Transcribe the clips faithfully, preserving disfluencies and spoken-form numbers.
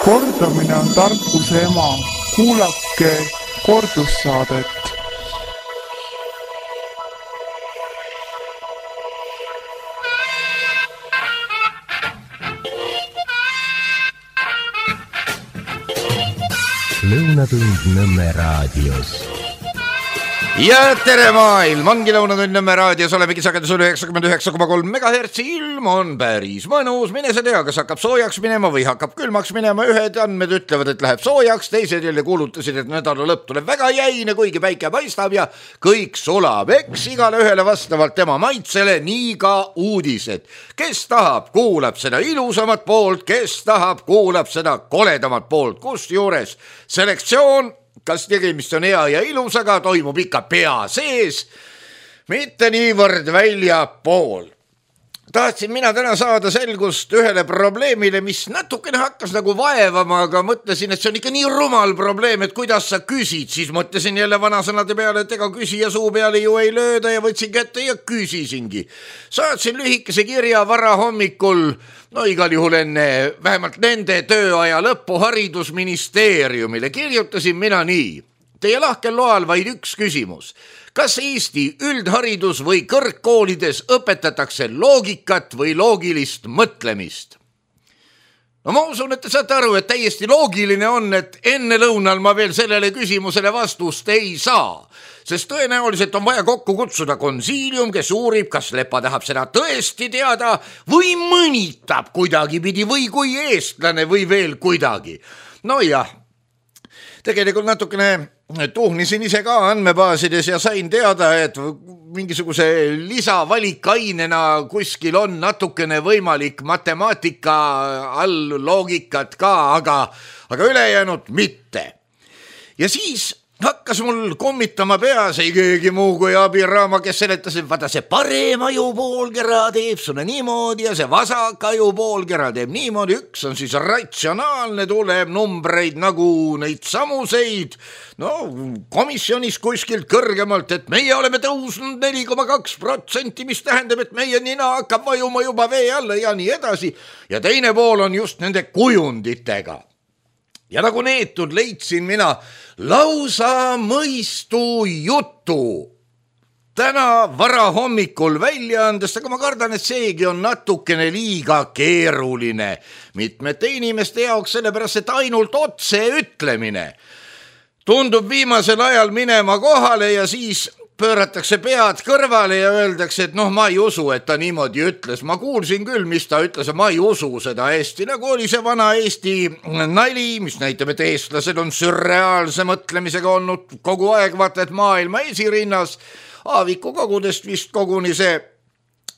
Kordamine on tarkuse ema. Kuulake kordussaadet. Lõunatund Nõmme raadios. Ja tere maailm, ongi Lõunatund Nõmme raadios, olemegi sagedusel üheksakümmend üheksa koma kolm megahertsi, ilm on päris mõnus, mine sa tea, kas hakkab soojaks minema või hakkab külmaks minema, ühed andmed ütlevad, et läheb soojaks, teised jälle kuulutasid, et nädala lõpp tuleb väga jäine, kuigi päike paistab ja kõik sulab, eks igale ühele vastavalt tema maitsele, nii ka uudised. Kes tahab, kuulab seda ilusamat poolt, kes tahab, kuulab seda koledamat poolt, kus juures selektsioon, kas tegemist on hea ja ilusaga, toimub ikka pea sees, mitte niivõrd välja pool. Tahtsin mina täna saada selgust ühele probleemile, mis natukene hakkas nagu vaevama, aga mõtlesin, et see on ikka nii rumal probleem, et kuidas sa küsid, siis mõtlesin jälle vanasõnade peale, et ega küsija suu peale ju ei lööda ja võtsin kätte ja küsisingi. Saatsin lühikese kirja vara hommikul, no igal juhul enne vähemalt nende tööaja lõppu haridusministeeriumile. Kirjutasin mina nii. Teie lahkel loal vaid üks küsimus. Kas Eesti üldharidus või kõrgkoolides õpetatakse loogikat või loogilist mõtlemist? No ma usun, et te saate aru, et täiesti loogiline on, et enne lõunal ma veel sellele küsimusele vastust ei saa. Sest tõenäoliselt on vaja kokku kutsuda konsiilium, kes uurib, kas Lepa tahab seda tõesti teada või mõnitab kuidagi pidi või kui eestlane või veel kuidagi. No jah, tegelikult natukene tuhnisin ise ka andmebaasides ja sain teada, et mingisuguse lisavalikainena kuskil on natukene võimalik matemaatika all loogikat ka, aga, aga ülejäänud mitte. Ja siis hakkas mul kommitama peas ei keegi muu kui Abiraama, kes seletas, et vaata see parem ajupoolkera teeb sulle niimoodi ja see vasak ajupoolkera teeb niimoodi. Üks on siis ratsionaalne, tuleb numbreid nagu neid samuseid, no komisjonis kuskilt kõrgemalt, et meie oleme tõusnud neli koma kaks protsenti, mis tähendab, et meie nina hakkab vajuma juba vee alla ja nii edasi. Ja teine pool on just nende kujunditega. Ja nagu neetud leidsin mina lausa mõistu jutu. Täna vara hommikul välja andest, aga ma kardan, et seegi on natukene liiga keeruline mitmete inimeste jaoks, sellepärast, et ainult otse ütlemine tundub viimasel ajal minema kohale ja siis pööratakse pead kõrvale ja öeldakse, et noh, ma ei usu, et ta niimoodi ütles. Ma kuulsin küll, mis ta ütles, ma ei usu seda hästi. Nagu oli see vana Eesti nali, mis näitab, et eestlased on sürreaalse mõtlemisega olnud kogu aeg, vaata, et maailma esirinnas. Aaviku kogudest vist koguni see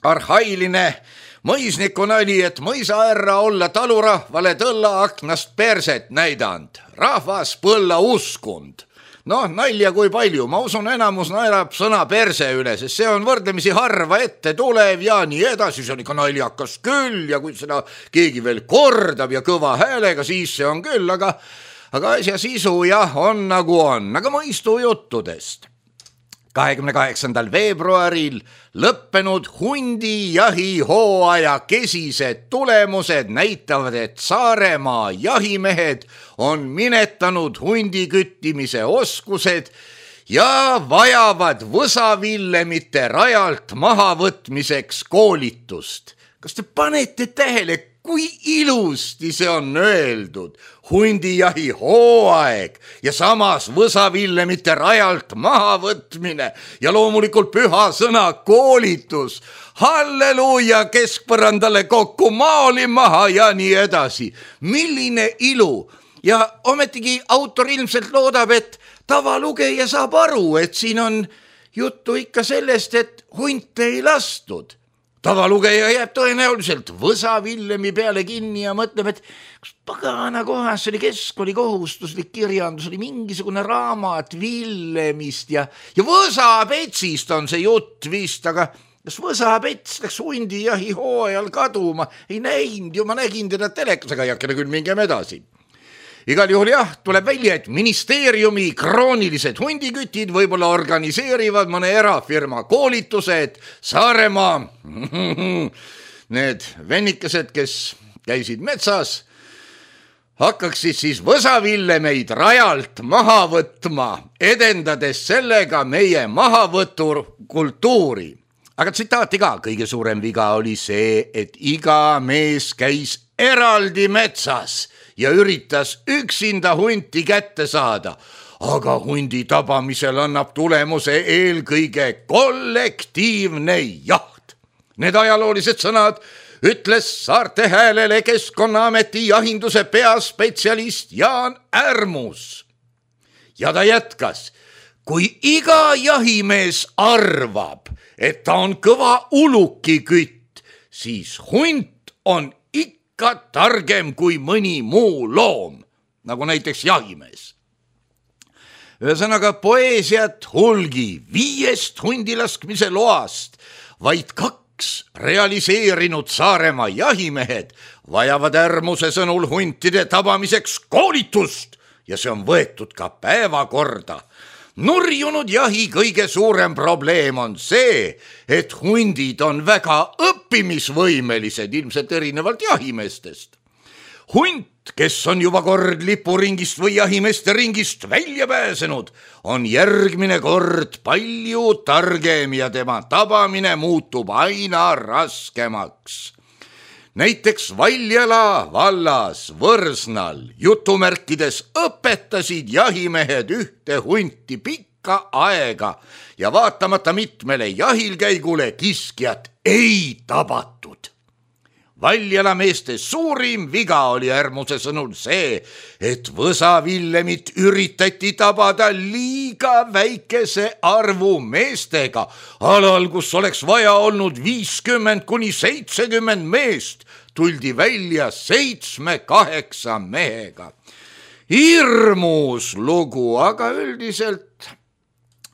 arhailine mõisniku nali, et mõisaärra olla talurahvale tõlla aknast perset näidanud. Rahvas põlla uskund. Noh, nalja kui palju, ma usun enamus naerab sõna perse üle, sest see on võrdlemisi harva ette tulev ja nii edasi, see on ikka naljakas küll ja kui seda keegi veel kordab ja kõva häälega, siis see on küll, aga, aga asja sisu jah, on nagu on, aga mõistu juttudest. kahekümne kaheksandal veebruaril lõppenud hundijahi hooaja kesised tulemused näitavad, et Saaremaa jahimehed on minetanud hundiküttimise oskused ja vajavad võsavillemite rajalt mahavõtmiseks koolitust. Kas te panete tähele, kui ilusti see on öeldud? Hundijahi hooaeg ja samas võsavillemite rajalt mahavõtmine ja loomulikult püha sõna koolitus. Halleluuja, keskpõrandale kokku, maali maha ja nii edasi. Milline ilu! Ja ometigi autor ilmselt loodab, et tavalugeja saab aru, et siin on juttu ikka sellest, et hunte ei lastud. Tavalugeja jääb tõenäoliselt võsavillemi peale kinni ja mõtleb, et kas pagana kohas oli keskkooli kohustuslik kirjandus, oli mingisugune raamat villemist ja, ja võsapetsist on see jutt vist, aga kas võsapets läks hundijahi hooajal kaduma? Ei näinud ju, ma nägin teda telekas, aga jakkene küll mingem edasi. Igal juhul jah, tuleb välja, et ministeeriumi kroonilised hundikütid võib-olla organiseerivad mõne erafirma koolitused. Saaremaa, need vennikesed, kes käisid metsas, hakkaksid siis võsavillemeid rajalt maha võtma, edendades sellega meie mahavõtu kultuuri. Aga tsitaati ka, kõige suurem viga oli see, et iga mees käis eraldi metsas ja üritas üksinda hunti kätte saada. Aga hundi tabamisel annab tulemuse eelkõige kollektiivne jaht. Need ajaloolised sõnad ütles Saarte Häälele Keskkonnaameti jahinduse peaspetsialist Jaan Ärmus. Ja ta jätkas, kui iga jahimees arvab, et ta on kõva ulukikütt, siis hunt on ikka targem kui mõni muu loom, nagu näiteks jahimees. Ühesõnaga poeesiat hulgi viiest hundilaskmise loast, vaid kaks realiseerinud Saaremaa jahimehed vajavad Ärmuse sõnul huntide tabamiseks koolitust ja see on võetud ka päevakorda. Nurjunud jahi kõige suurem probleem on see, et hundid on väga õppimisvõimelised, ilmselt erinevalt jahimeestest. Hunt, kes on juba kord lipuringist või jahimeeste ringist välja pääsenud, on järgmine kord palju targem ja tema tabamine muutub aina raskemaks. Näiteks Valjala vallas Võrsnal jutumärkides õpetasid jahimehed ühte hunti pikka aega ja vaatamata mitmele jahilkäigule kiskjat ei tabatud. Valjala meeste suurim viga oli Ärmuse sõnul see, et võsavillemit üritati tabada liiga väikese arvu meestega, alal, kus oleks vaja olnud viiskümmend kuni seitsekümmend meest, tuldi välja seitsme-kaheksa mehega. Hirmus lugu, aga üldiselt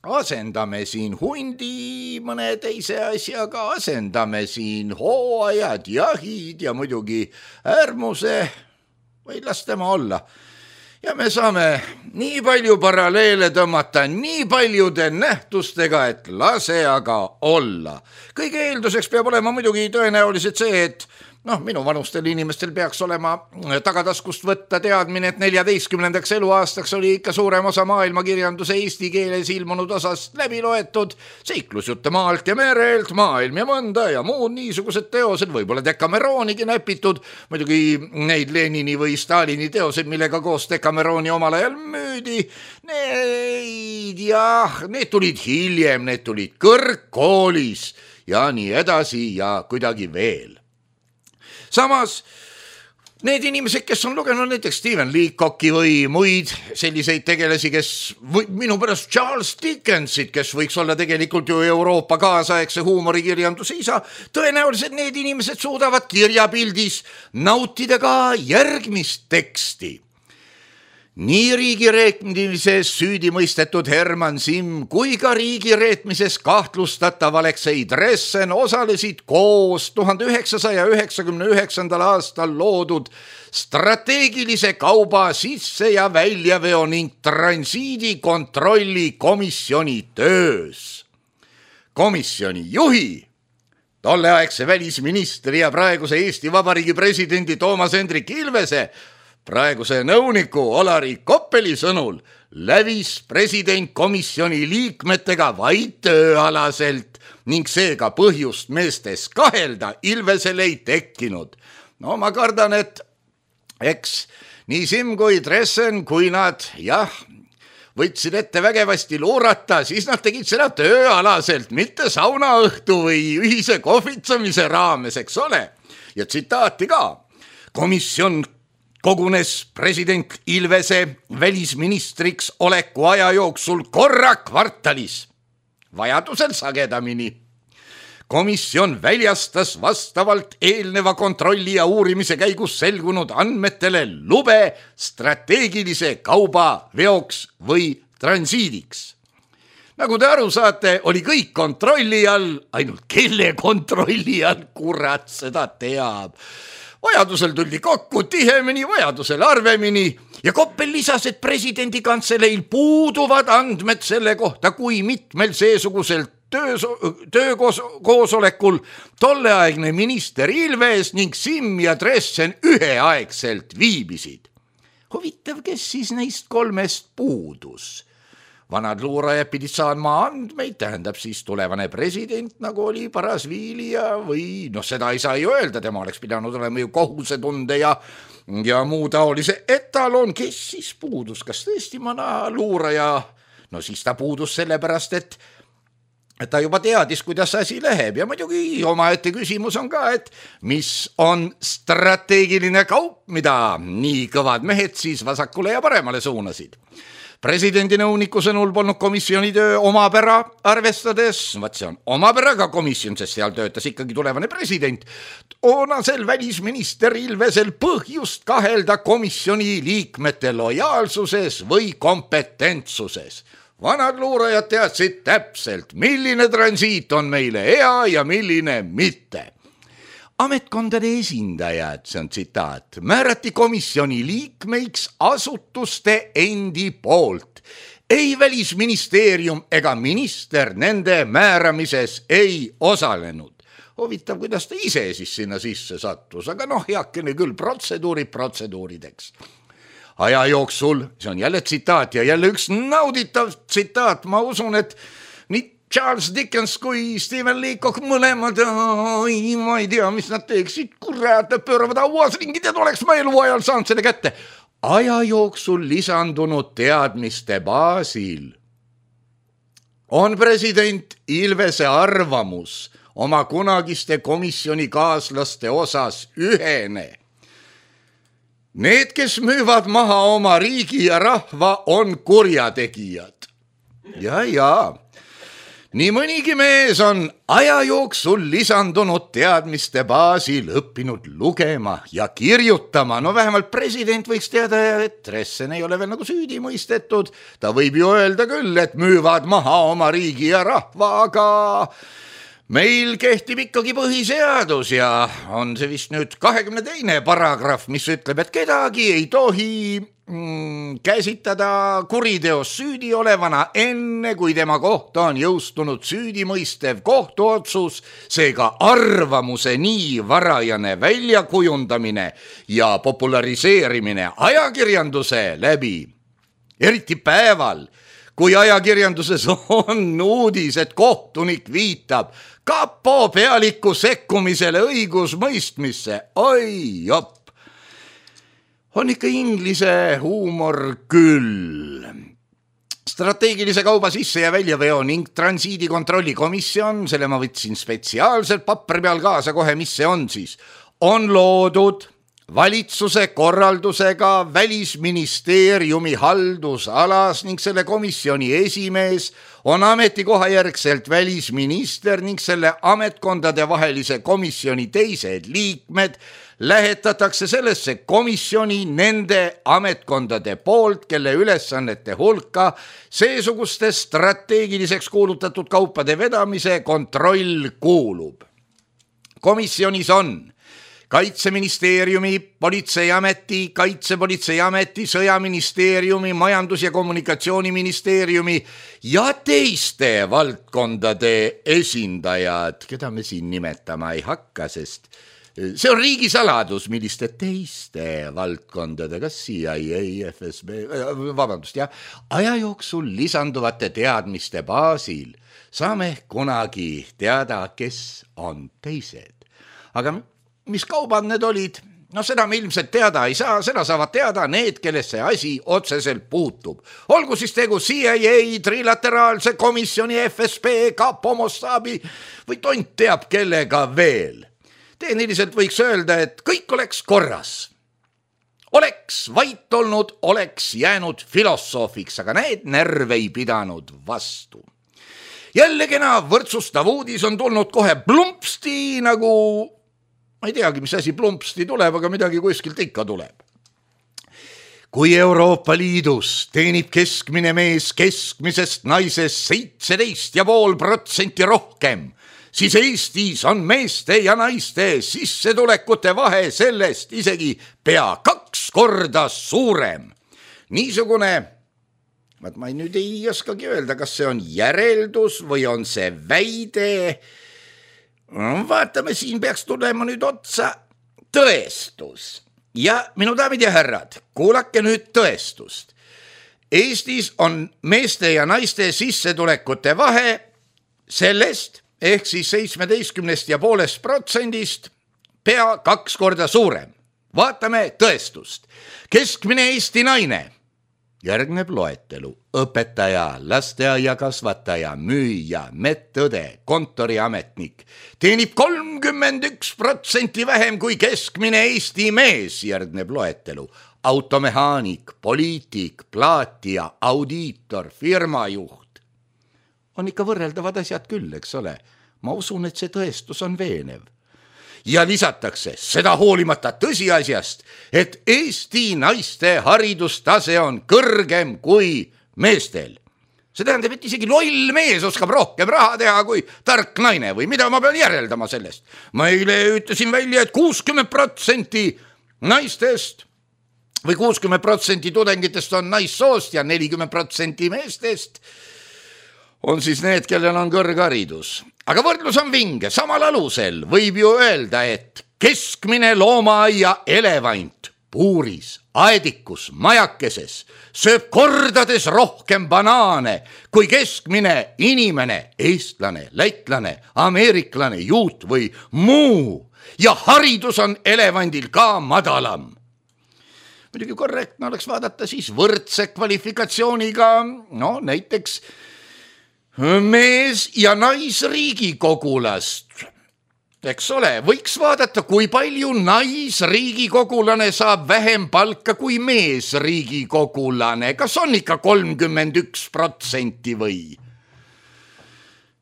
asendame siin hundi mõne teise asjaga, asendame siin hooajad, jahid ja muidugi Ärmuse või las tema olla. Ja me saame nii palju paralleele tõmmata nii paljude nähtustega, et lase aga olla. Kõige eelduseks peab olema muidugi tõenäoliselt see, et noh, minu vanustel inimestel peaks olema tagataskust võtta teadmine, et neljateistkümnendaks eluaastaks oli ikka suurem osa maailmakirjanduse eesti keeles ilmunud osast läbi loetud, seiklusjutte maalt ja merelt, maailm ja mõnda ja muud niisugused teosed, võib-olla Decameronigi näpitud, muidugi neid Lenini või Stalini teosed, millega koos Decameroni omal ajal müüdi, neid jah, need tulid hiljem, need tulid kõrgkoolis ja nii edasi ja kuidagi veel. Samas, need inimesed, kes on lugenud näiteks Stephen Leacocki või muid selliseid tegelasi, kes või minu pärast Charles Dickensit, kes võiks olla tegelikult ju Euroopa kaasaegse huumorikirjanduse isa, tõenäoliselt need inimesed suudavad kirjapildis nautida ka järgmist teksti. Nii riigireetmises süüdi mõistetud Herman Simm kui ka riigireetmises kahtlustatav Aleksei Dressen osalesid koos tuhande üheksasaja üheksakümne üheksandal aastal loodud strateegilise kauba sisse- ja väljaveo ning transiidi kontrolli komisjoni töös. Komisjoni juhi, tolleaegse välisministri ja praeguse Eesti Vabariigi presidendi Toomas Hendrik Ilvese praeguse nõuniku Olari Koppeli sõnul lävis president komisjoni liikmetega vaid tööalaselt ning seega põhjust meestes kahelda Ilvesel ei tekkinud. No ma kardan, et eks nii Simm kui Dressen, kui nad jah, võtsid ette vägevasti luurata, siis nad tegid seda tööalaselt, mitte saunaõhtu või ühise kohvitsamise raames, eks ole. Ja tsitaati ka. Komisjon kogunes president Ilvese välisministriks oleku aja jooksul korra kvartalis, vajadusel sagedamini. Komisjon väljastas vastavalt eelneva kontrolli ja uurimise käigus selgunud andmetele lube strateegilise kauba veoks või transiidiks. Nagu te aru saate, oli kõik kontrolli all, ainult kelle kontrolli all, kurat seda teab. Vajadusel tuldi kokku tihemini, vajadusel arvemini ja Koppel lisas, et presidendi kantseleil puuduvad andmed selle kohta, kui mitmel seesugusel töökoosolekul tolleaegne minister Ilves ning Simm ja Dressen üheaegselt viibisid. Huvitav, kes siis neist kolmest puudus? Vanad luurajad pidid saama andmeid, tähendab siis tulevane president, nagu oli Parasviilija või noh, seda ei saa ju öelda, tema oleks pidanud olema ju kohusetunde ja, ja muu taolise etalon, kes siis puudus, kas tõesti vana luuraja, no siis ta puudus sellepärast, et et ta juba teadis, kuidas asi läheb ja muidugi omaette küsimus on ka, et mis on strateegiline kaup, mida nii kõvad mehed siis vasakule ja paremale suunasid. Presidendi nõuniku sõnul polnud komisjoni töö omapära arvestades, vaat see on omapäraga komisjon, sest seal töötas ikkagi tulevane president, toonasel välisminister Ilvesel põhjust kahelda komisjoni liikmete lojaalsuses või kompetentsuses. Vanad luurajad teadsid täpselt, milline transiit on meile hea ja milline mitte. Ametkondade esindajad, see on tsitaat, määrati komisjoni liikmeiks asutuste endi poolt. Ei välisministeerium ega minister nende määramises ei osalenud. Huvitav, kuidas ta ise siis sinna sisse sattus, aga noh, heakene küll protseduurid protseduurideks. Aja jooksul, see on jälle tsitaat ja jälle üks nauditav tsitaat, ma usun, et nii Charles Dickens kui Stephen Leacock mõlemad, oi, ma ei tea, mis nad teeksid, kurat, pööravad auas ringid ja oleks ma eluajal saanud selle kätte. Aja jooksul lisandunud teadmiste baasil on president Ilvese arvamus oma kunagiste komisjoni kaaslaste osas ühene. Need, kes müüvad maha oma riigi ja rahva, on kurjategijad. Ja, ja. Nii mõnigi mees on aja jooksul lisandunud teadmiste baasil õppinud lugema ja kirjutama. No vähemalt president võiks teada, et Dressen ei ole veel nagu süüdi mõistetud. Ta võib ju öelda küll, et müüvad maha oma riigi ja rahva, aga meil kehtib ikkagi põhiseadus ja on see vist nüüd kahekümne teine paragrahv, mis ütleb, et kedagi ei tohi mm, käsitada kuriteos süüdi olevana enne, kui tema kohta on jõustunud süüdimõistev kohtuotsus, seega arvamuse nii varajane väljakujundamine ja populariseerimine ajakirjanduse läbi, eriti päeval, kui ajakirjanduses on uudis, et kohtunik viitab kapo pealiku sekkumisele õigusmõistmisse. Oi, jopp. On ikka inglise huumor küll. Strateegilise kauba sisse- ja väljaveo ning transiidi kontrolli komisjon, selle ma võtsin spetsiaalselt papri peal kaasa kohe, mis see on siis, on loodud valitsuse korraldusega Välisministeeriumi haldusalas ning selle komisjoni esimees on ametikoha järgselt välisminister ning selle ametkondade vahelise komisjoni teised liikmed lähetatakse sellesse komisjoni nende ametkondade poolt, kelle ülesannete hulka seesuguste strateegiliseks kuulutatud kaupade vedamise kontroll kuulub. Komisjonis on Kaitseministeeriumi, Politseiameti, Kaitsepolitseiameti, Sõjaministeeriumi, Majandus- ja Kommunikatsiooniministeeriumi ja teiste valdkondade esindajad, keda me siin nimetama ei hakka, sest see on riigisaladus, milliste teiste valdkondade, kas C I A, F S B, vabandust, jah, aja jooksul lisanduvate teadmiste baasil saame kunagi teada, kes on teised. Aga mis kaubad need olid? No seda me ilmselt teada ei saa, seda saavad teada need, kellesse asi otseselt puutub. Olgu siis tegu C I A, trilateraalse komisjoni, F S B, kapo, Mossadi või tont teab kellega veel. Tehniliselt võiks öelda, et kõik oleks korras. Oleks vait olnud, oleks jäänud filosoofiks, aga need närve ei pidanud vastu. Jälle kena võrdsustav uudis on tulnud kohe plumpsti nagu ma ei teagi, mis asi plumpsti tuleb, aga midagi kuskilt ikka tuleb. Kui Euroopa Liidus teenib keskmine mees keskmisest naisest seitseteist ja pool protsenti rohkem, siis Eestis on meeste ja naiste sissetulekute vahe sellest isegi pea kaks korda suurem. Niisugune, ma nüüd ei oskagi öelda, kas see on järeldus või on see väide. Vaatame, siin peaks tulema nüüd otsa tõestus. ja minu daamid ja härrad, kuulake nüüd tõestust. Eestis on meeste ja naiste sissetulekute vahe sellest ehk siis seitsmeteistkümnest ja poolest protsendist pea kaks korda suurem. Vaatame tõestust. Keskmine Eesti naine. Järgneb loetelu. Õpetaja, lasteaia kasvataja, müüja, medõde, kontoriametnik. Teenib kolmkümmend üks protsenti vähem kui keskmine Eesti mees. Järgneb loetelu. Automehaanik, poliitik, plaatija, audiitor, firmajuht. On ikka võrreldavad asjad küll, eks ole. Ma usun, et see tõestus on veenev. Ja lisatakse seda hoolimata tõsiasjast, et Eesti naiste haridustase on kõrgem kui meestel. See tähendab, et isegi loll mees oskab rohkem raha teha kui tark naine või mida ma pean järeldama sellest. Ma eile ütlesin välja, et kuuskümmend protsenti naistest või kuuskümmend protsenti tudengitest on naissoost ja nelikümmend protsenti meestest on siis need, kellel on kõrgharidus. Aga võrdlus on vinge. Samal alusel võib ju öelda, et keskmine loomaaia elevant puuris, aedikus, majakeses sööb kordades rohkem banaane kui keskmine inimene, eestlane, lätlane, ameeriklane, juut või muu. Ja haridus on elevandil ka madalam. Muidugi korrektne oleks vaadata siis võrdse kvalifikatsiooniga, no näiteks mees ja naisriigikogulast. Eks ole, võiks vaadata, kui palju naisriigikogulane saab vähem palka kui meesriigikogulane. Kas on ikka kolmkümmend üks protsenti või?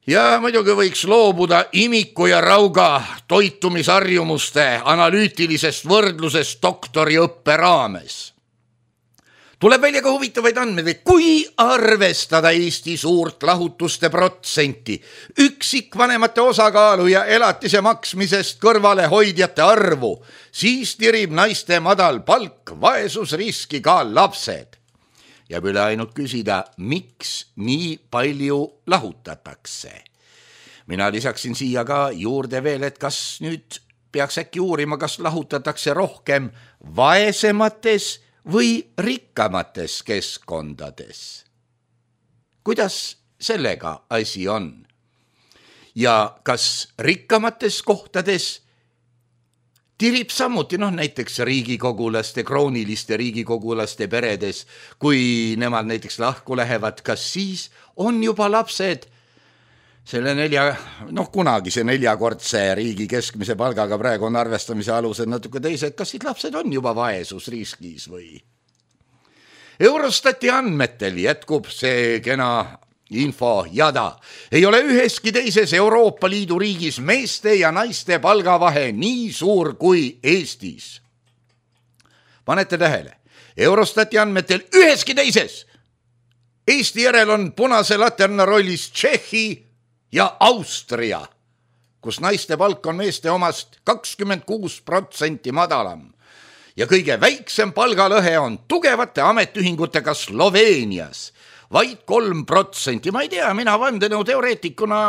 Ja muidugi võiks loobuda imiku ja rauga toitumisharjumuste analüütilisest võrdlusest doktoriõppe raames. Tuleb välja ka huvitavaid andmeid, kui arvestada Eesti suurt lahutuste protsenti, üksikvanemate osakaalu ja elatise maksmisest kõrvale hoidjate arvu, siis tirib naiste madal palk vaesusriski ka lapsed. Jääb üle ainult küsida, miks nii palju lahutatakse. Mina lisaksin siia ka juurde veel, et kas nüüd peaks äkki uurima, kas lahutatakse rohkem vaesemates või rikkamates keskkondades. Kuidas sellega asi on? Ja kas rikkamates kohtades tirib samuti, noh näiteks riigikogulaste, krooniliste riigikogulaste peredes, kui nemad näiteks lahku lähevad, kas siis on juba lapsed selle nelja, noh kunagi see neljakordse riigi keskmise palgaga praegu on arvestamise alusel natuke teised, kas siis lapsed on juba vaesusriskis või? Eurostati andmetel jätkub see kena info jada. Ei ole üheski teises Euroopa Liidu riigis meeste ja naiste palgavahe nii suur kui Eestis. Panete tähele, Eurostati andmetel üheski teises. Eesti järel on punase laterna rollis Tšehhi ja Austria, kus naiste palk on meeste omast kakskümmend kuus protsenti madalam. Ja kõige väiksem palgalõhe on tugevate ametiühingutega Sloveenias, vaid kolm protsenti. Ma ei tea, mina vandenõu teoreetikuna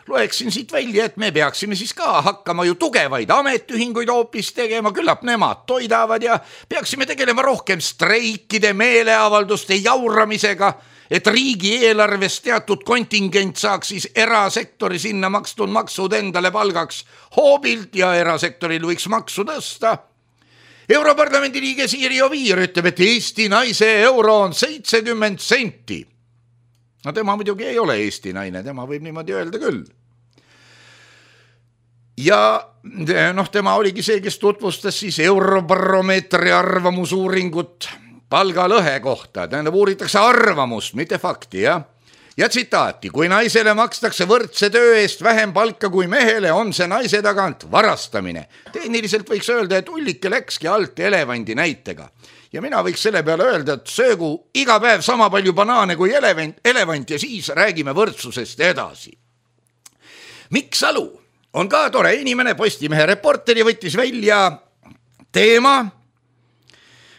loeksin siit välja, et me peaksime siis ka hakkama ju tugevaid ametiühinguid hoopis tegema, küllap nemad toidavad ja peaksime tegelema rohkem streikide, meeleavalduste jauramisega, et riigieelarvest teatud kontingent saaks siis erasektori sinna makstud maksud endale palgaks hoobilt ja erasektoril võiks maksu tõsta. Europarlamendi liige Siiri Oviir ütleb, et Eesti naise euro on seitsekümmend senti. No tema muidugi ei ole Eesti naine, tema võib niimoodi öelda küll. Ja noh, tema oligi see, kes tutvustas siis Eurobaromeetri arvamusuuringut palgalõhe kohta, tähendab uuritakse arvamust, mitte fakti, jah. Ja tsitaati, kui naisele makstakse võrdse töö eest vähem palka kui mehele, on see naise tagant varastamine. Tehniliselt võiks öelda, et ullike läkski alt elevandi näitega. Ja mina võiks selle peale öelda, et söögu iga päev sama palju banaane kui elevant, elevant ja siis räägime võrdsusest edasi. Mikk Salu on ka tore inimene, Postimehe reporteri võttis välja teema,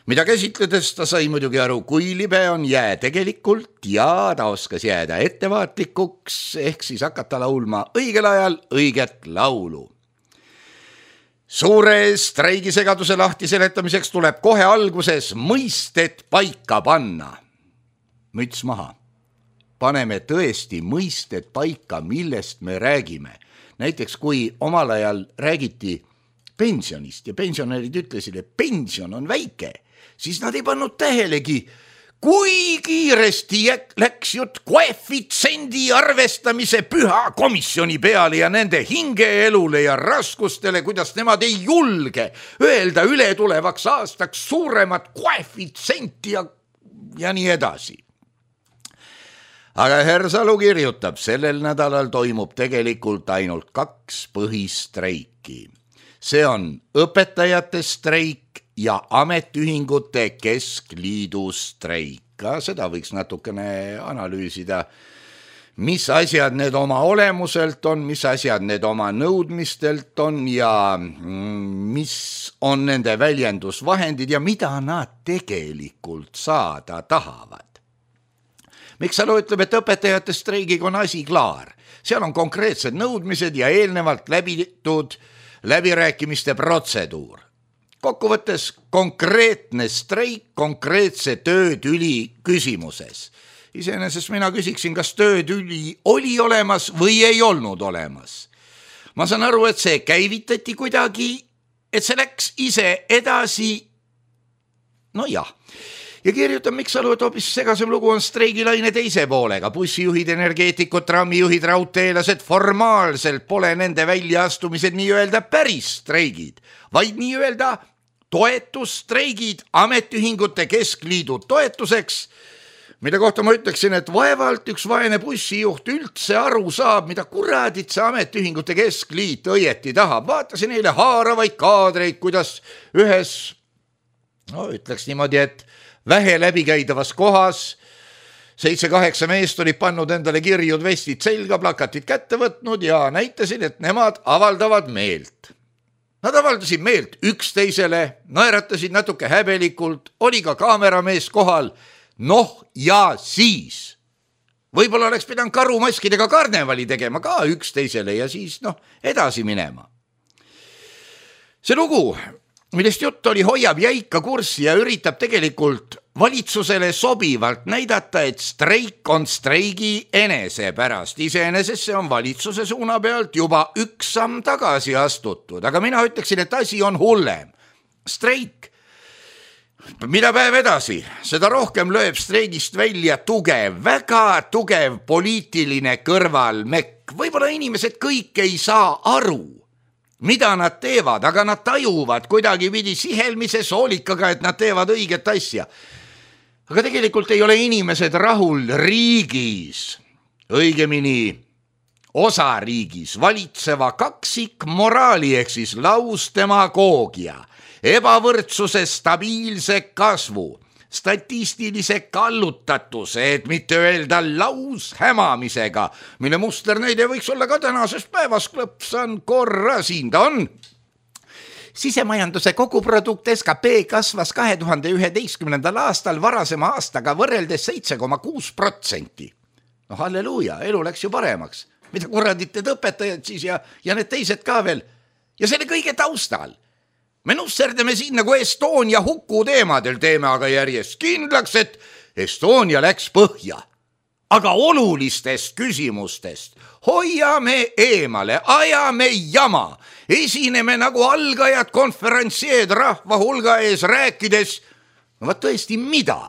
mida käsitledes ta sai muidugi aru, kui libe on jää tegelikult ja ta oskas jääda ettevaatlikuks, ehk siis hakata laulma õigel ajal õiget laulu. suure streigisegaduse lahti seletamiseks tuleb kohe alguses mõisted paika panna. Müts maha. Paneme tõesti mõisted paika, millest me räägime. Näiteks kui omal ajal räägiti pensionist ja pensionärid ütlesid, et pension on väike, siis nad ei pannud tähelegi, kui kiiresti läks jutt koefitsendi arvestamise püha komisjoni peale ja nende hingeelule ja raskustele, kuidas nemad ei julge öelda üle tulevaks aastaks suuremat koefitsenti ja, ja nii edasi. Aga Hersalu kirjutab, sellel nädalal toimub tegelikult ainult kaks põhistreiki. See on õpetajate streik ja ametiühingute keskliidu streik. Ka seda võiks natukene analüüsida, mis asjad need oma olemuselt on, mis asjad need oma nõudmistelt on ja mis on nende väljendusvahendid ja mida nad tegelikult saada tahavad. Miksalu ütleb, et õpetajate streigiga on asi klaar. Seal on konkreetsed nõudmised ja eelnevalt läbitud läbirääkimiste protseduur. Kokkuvõttes konkreetne streik konkreetse töötüli küsimuses. Iseenesest mina küsiksin, kas töötüli oli olemas või ei olnud olemas. Ma saan aru, et see käivitati kuidagi, et see läks ise edasi. No jah. Ja kirjutab Miksalu, et hoopis segasem lugu on streigilaine teise poolega. Bussijuhid, energeetikud, trammijuhid, raudteelased formaalselt pole nende väljaastumised nii-öelda päris streigid, vaid nii-öelda toetusstreigid ametiühingute keskliidu toetuseks, mille kohta ma ütleksin, et vaevalt üks vaene bussijuht üldse aru saab, mida kuradit see ametiühingute keskliit õieti tahab. Vaatasin eile haaravaid kaadreid, kuidas ühes, no ütleks niimoodi, et vähe läbikäidavas kohas seitse-kaheksa meest olid pannud endale kirjud vestid selga, plakatid kätte võtnud ja näitasid, et nemad avaldavad meelt. Nad avaldasid meelt üksteisele, naeratasid natuke häbelikult, oli ka kaameramees kohal. Noh ja siis. Võib-olla oleks pidanud karumaskidega karnevali tegema ka üksteisele ja siis noh, edasi minema. See lugu, millest jutt oli, hoiab jäika kurssi ja üritab tegelikult valitsusele sobivalt näidata, et streik on streigi enese pärast. Iseenesest see on valitsuse suuna pealt juba üks samm tagasi astutud, aga mina ütleksin, et asi on hullem. Streik, mida päev edasi, seda rohkem lööb streigist välja tugev, väga tugev poliitiline kõrvalmekk. Võib-olla inimesed kõik ei saa aru, mida nad teevad, aga nad tajuvad kuidagi pidi sihelmise soolikaga, et nad teevad õiget asja. Aga tegelikult ei ole inimesed rahul riigis, õigemini osariigis valitseva kaksik moraali ehk siis lausdemagoogia, ebavõrdsuse stabiilse kasvu, statistilise kallutatuse, et mitte öelda laushämamisega, mille musternäide võiks olla ka tänases päevas, klõpsan korra siin ta on. Sisemajanduse koguprodukt S K P kasvas kahe tuhande üheteistkümnendal aastal varasema aastaga võrreldes seitse koma kuus protsenti. No halleluuja, elu läks ju paremaks. Mida kuradit need õpetajad siis ja, ja need teised ka veel. Ja selle kõige taustal. Me nusserdame siin nagu Estonia huku teemadel teeme aga järjest kindlaks, et Estonia läks põhja. Aga olulistest küsimustest hoiame eemale, ajame jama, esineme nagu algajad konferentsieed rahva hulga ees rääkides, no vaat tõesti mida?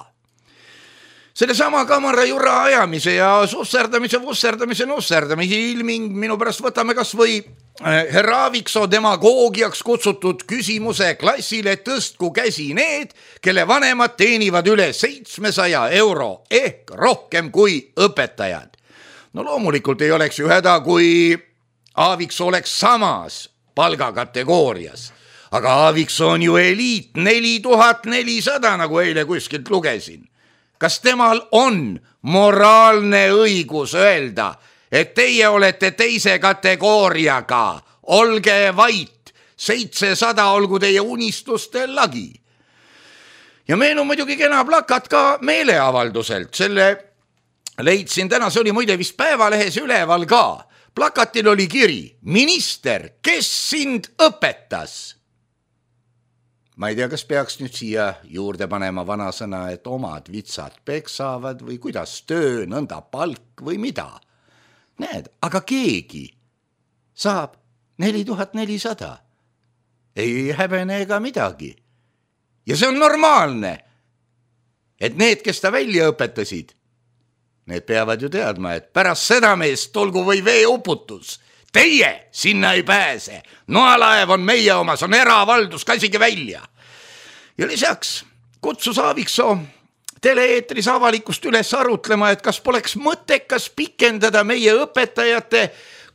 Selle sama kamara jura ajamise ja susserdamise, vusserdamise, nusserdamise ilming minu pärast võtame kas või Herra Aaviksoo demagoogiaks kutsutud küsimuse klassile tõstku käsi need, kelle vanemad teenivad üle seitsmesaja euro ehk rohkem kui õpetajad. No loomulikult ei oleks ju häda, kui Aaviksoo oleks samas palgakategoorias. Aga Aaviksoo on ju eliit neli tuhat nelisada, nagu eile kuskilt lugesin. Kas temal on moraalne õigus öelda, et teie olete teise kategooriaga, olge vait, seitsesada olgu teie unistuste lagi. Ja meil on muidugi kena plakat ka meeleavalduselt, selle leidsin täna, see oli muide vist Päevalehes üleval ka. plakatil oli kiri: minister, kes sind õpetas? Ma ei tea, kas peaks nüüd siia juurde panema vanasõna, et omad vitsad peksavad või kuidas töö, nõnda palk või mida. Näed, aga keegi saab neli tuhat nelisada. Ei häbene ega midagi. Ja see on normaalne, et need, kes ta välja õpetasid, need peavad ju teadma, et pärast seda meest tulgu või veeuputus. Teie sinna ei pääse. Noalaev on meie oma, see on eravaldus, käsige välja. Ja lisaks kutsus Aaviksoo tele-eetris avalikkust üles arutlema, et kas poleks mõttekas pikendada meie õpetajate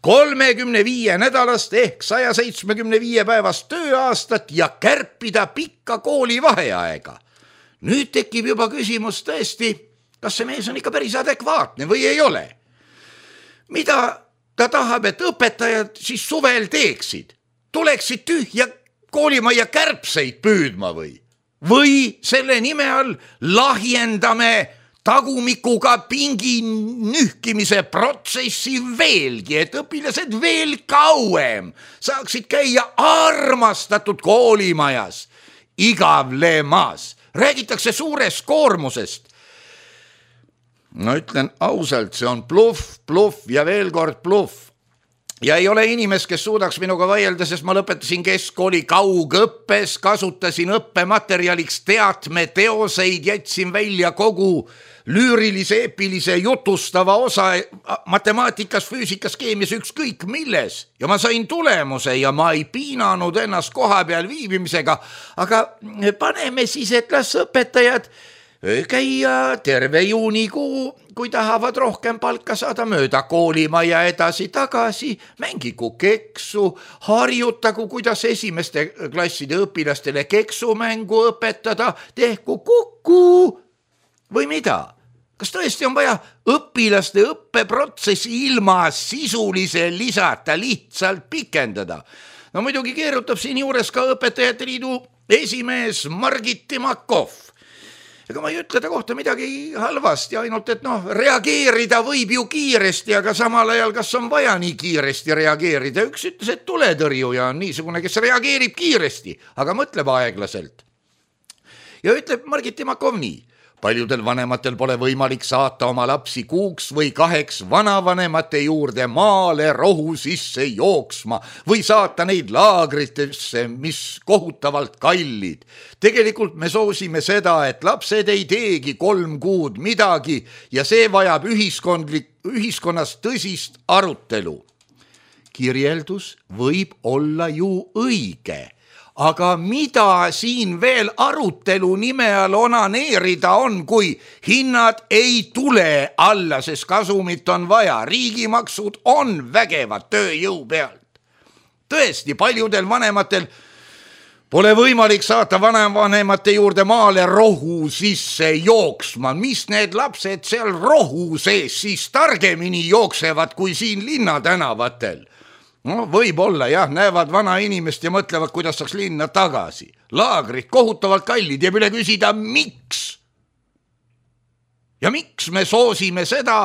kolmekümne viie nädalast ehk saja seitsmekümne viie päevast tööaastat ja kärpida pikka kooli vaheaega. Nüüd tekib juba küsimus tõesti, kas see mees on ikka päris adekvaatne või ei ole. Mida ta tahab, et õpetajad siis suvel teeksid? Tuleksid tühja koolimajja kärbseid püüdma või? Või selle nime all lahjendame tagumikuga pingi nühkimise protsessi veelgi, et õpilased veel kauem saaksid käia armastatud koolimajas, igavlemas. Räägitakse suurest koormusest. No ütlen ausalt, see on bluff, bluff ja veel kord bluff. Ja ei ole inimest, kes suudaks minuga vaielda, sest ma lõpetasin keskkooli kaugõppes, kasutasin õppematerjaliks teatme teoseid, jätsin välja kogu lüürilise, epilise, jutustava osa matemaatikas, füüsikas, keemias, ükskõik milles. Ja ma sain tulemuse ja ma ei piinanud ennast koha peal viibimisega, aga paneme siis, et las õpetajad käia terve juunikuu, kui tahavad rohkem palka saada mööda koolimaja edasi-tagasi, mängigu keksu, harjutagu, kuidas esimeste klasside õpilastele keksumängu õpetada, tehku kuku või mida. Kas tõesti on vaja õpilaste õppeprotsessi ilma sisulise lisata lihtsalt pikendada? No muidugi keerutab siin juures ka õpetajate liidu esimees Margit Timakov. Ega ma ei ütle ta kohta midagi halvasti, ainult et noh, reageerida võib ju kiiresti, aga samal ajal kas on vaja nii kiiresti reageerida. Üks ütles, et tuletõrjuja on niisugune, kes reageerib kiiresti, aga mõtleb aeglaselt. Ja ütleb Margit Timakov nii: paljudel vanematel pole võimalik saata oma lapsi kuuks või kaheks vanavanemate juurde maale rohu sisse jooksma või saata neid laagritesse, mis kohutavalt kallid. Tegelikult me soosime seda, et lapsed ei teegi kolm kuud midagi ja see vajab ühiskondlik, ühiskonnas tõsist arutelu. Kirjeldus võib olla ju õige. Aga mida siin veel arutelu nime all onaneerida on, kui hinnad ei tule alla, sest kasumit on vaja, riigimaksud on vägevad tööjõu pealt. Tõesti, paljudel vanematel pole võimalik saata vanavanemate juurde maale rohu sisse jooksma. Mis need lapsed seal rohu sees siis targemini jooksevad kui siin linnatänavatel? No võib-olla jah, näevad vana inimest ja mõtlevad, kuidas saaks linna tagasi. Laagrid kohutavalt kallid ja üle küsida, miks? Ja miks me soosime seda,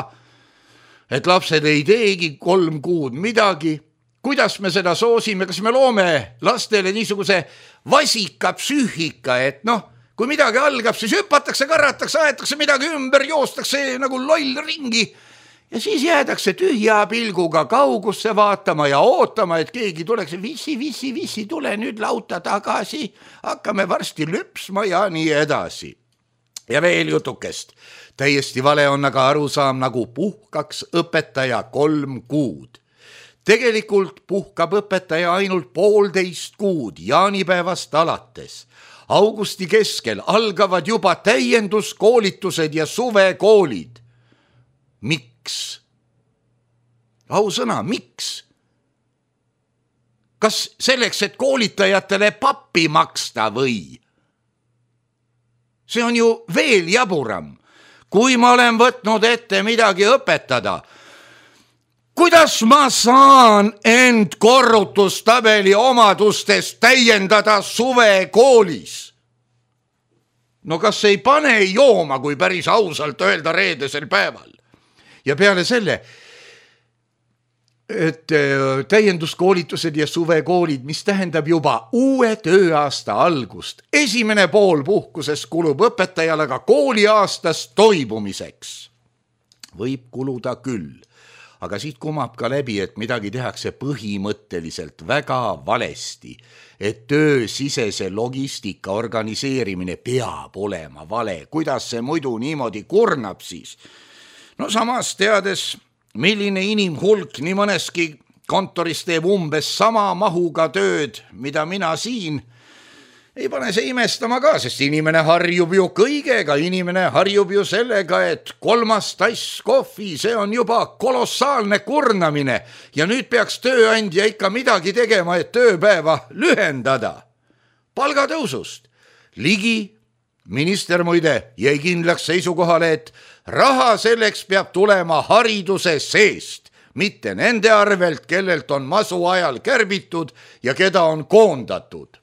et lapsed ei teegi kolm kuud midagi? Kuidas me seda soosime? Kas me loome lastele niisuguse vasika psüühika, et noh, kui midagi algab, siis hüpatakse, karratakse, aetakse midagi ümber, joostakse nagu loll ringi. Ja siis jäädakse tühja pilguga kaugusse vaatama ja ootama, et keegi tuleks, vissi, vissi, vissi, tule nüüd lauta tagasi, hakkame varsti lüpsma ja nii edasi. Ja veel jutukest. Täiesti vale on aga arusaam, nagu puhkaks õpetaja kolm kuud. Tegelikult puhkab õpetaja ainult poolteist kuud jaanipäevast alates. Augusti keskel algavad juba täienduskoolitused ja suvekoolid. Miks? Ausõna, miks? Kas selleks, et koolitajatele pappi maksta või? See on ju veel jaburam. Kui ma olen võtnud ette midagi õpetada, kuidas ma saan end korrutustabeli omadustest täiendada suvekoolis? No kas ei pane jooma, kui päris ausalt öelda reedesel päeval? Ja peale selle, et täienduskoolitused ja suvekoolid, mis tähendab juba uue tööaasta algust. Esimene pool puhkusest kulub õpetajale ka kooliaastas toibumiseks. Võib kuluda küll, aga siit kumab ka läbi, et midagi tehakse põhimõtteliselt väga valesti, et töösisese logistika organiseerimine peab olema vale. Kuidas see muidu niimoodi kurnab siis? No samas teades, milline inimhulk nii mõneski kontoris teeb umbes sama mahuga tööd, mida mina siin, ei pane see imestama ka, sest inimene harjub ju kõigega, inimene harjub ju sellega, et kolmas tass kohvi, see on juba kolossaalne kurnamine ja nüüd peaks tööandja ikka midagi tegema, et tööpäeva lühendada. Palgatõusust. Ligi minister muide jäi kindlaks seisukohale, et raha selleks peab tulema hariduse seest, mitte nende arvelt, kellelt on masu ajal kärbitud ja keda on koondatud.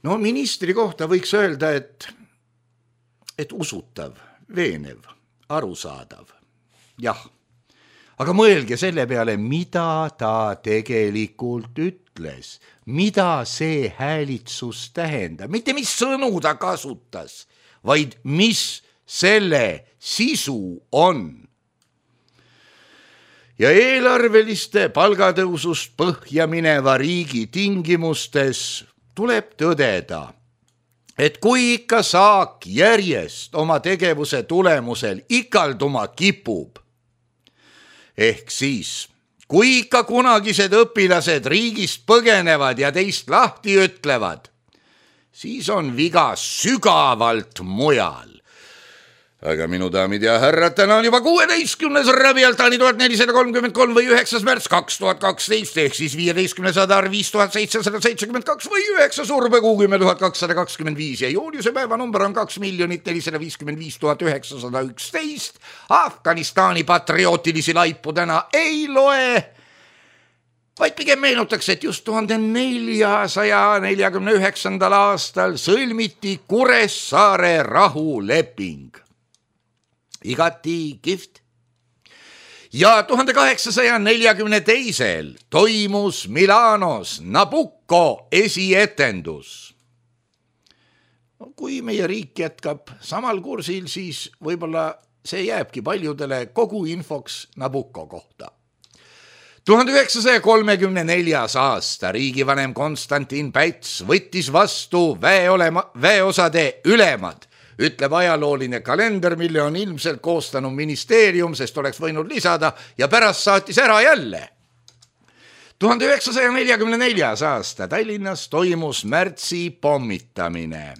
No ministri kohta võiks öelda, et, et usutav, veenev, arusaadav. Jah, aga mõelge selle peale, mida ta tegelikult ütles, mida see häälitsus tähendab, mitte mis sõnu ta kasutas, vaid mis selle sisu on. Ja eelarveliste palgatõusust põhja mineva riigi tingimustes tuleb tõdeda, et kui ikka saak järjest oma tegevuse tulemusel ikalduma kipub, ehk siis kui ikka kunagised õpilased riigist põgenevad ja teist lahti ütlevad, siis on viga sügavalt mujal. Aga minu daamid ja härrad, täna on juba kuueteistkümnes Rabialtani tuhat nelisada kolmkümmend kolm või üheksas märts kaks tuhat kaksteist, ehk siis viieteistkümnes Adar viis tuhat seitsesada seitsekümmend kaks või üheksa Surbekuu kümme tuhat kakssada kakskümmend viis ja juuliuse päeva number on kaks miljonit nelisada viiskümmend viis tuhat üheksasada üksteist. Afganistani patriootilisi laipu täna ei loe, vaid pigem meenutaks, et just tuhande neljasaja neljakümne üheksandal aastal sõlmiti Kuressaare rahuleping. Igati kihvt. Ja tuhande kaheksasaja neljakümne teisel toimus Milanos Nabucco esietendus. Kui meie riik jätkab samal kursil, siis võib-olla see jääbki paljudele kogu infoks Nabucco kohta. tuhande üheksasaja kolmekümne neljas aasta riigivanem Konstantin Päts võttis vastu väeolema, väeosade ülemad, ütleb ajalooline kalender, mille on ilmselt koostanud ministeerium, sest oleks võinud lisada ja pärast saatis ära jälle. tuhande üheksasaja neljakümne neljas aasta Tallinnas toimus märtsi pommitamine.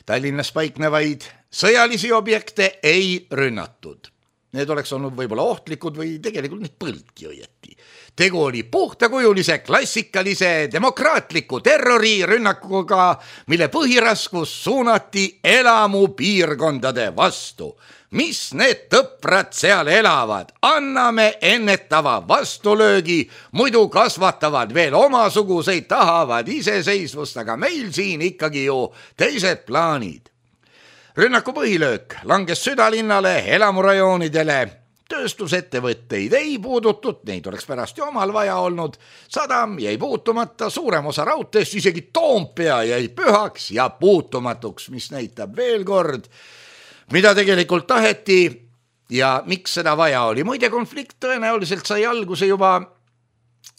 Tallinnas paiknevaid sõjalisi objekte ei rünnatud. Need oleks olnud võib-olla ohtlikud või tegelikult neid põldki õieti. Tegu oli puhtakujulise, klassikalise, demokraatliku terrorirünnakuga, mille põhiraskus suunati elamu piirkondade vastu. Mis need tõprad seal elavad? Anname ennetava vastulöögi, muidu kasvatavad veel omasuguseid, tahavad iseseisvust, aga meil siin ikkagi ju teised plaanid. Rünnaku põhilöök langes südalinnale, elamurajoonidele, tööstusettevõtteid ei puudutud, neid oleks pärast ju omal vaja olnud, sadam jäi puutumata, suurem osa raudteest, isegi Toompea jäi pühaks ja puutumatuks, mis näitab veel kord, mida tegelikult taheti ja miks seda vaja oli. Muide, konflikt tõenäoliselt sai alguse juba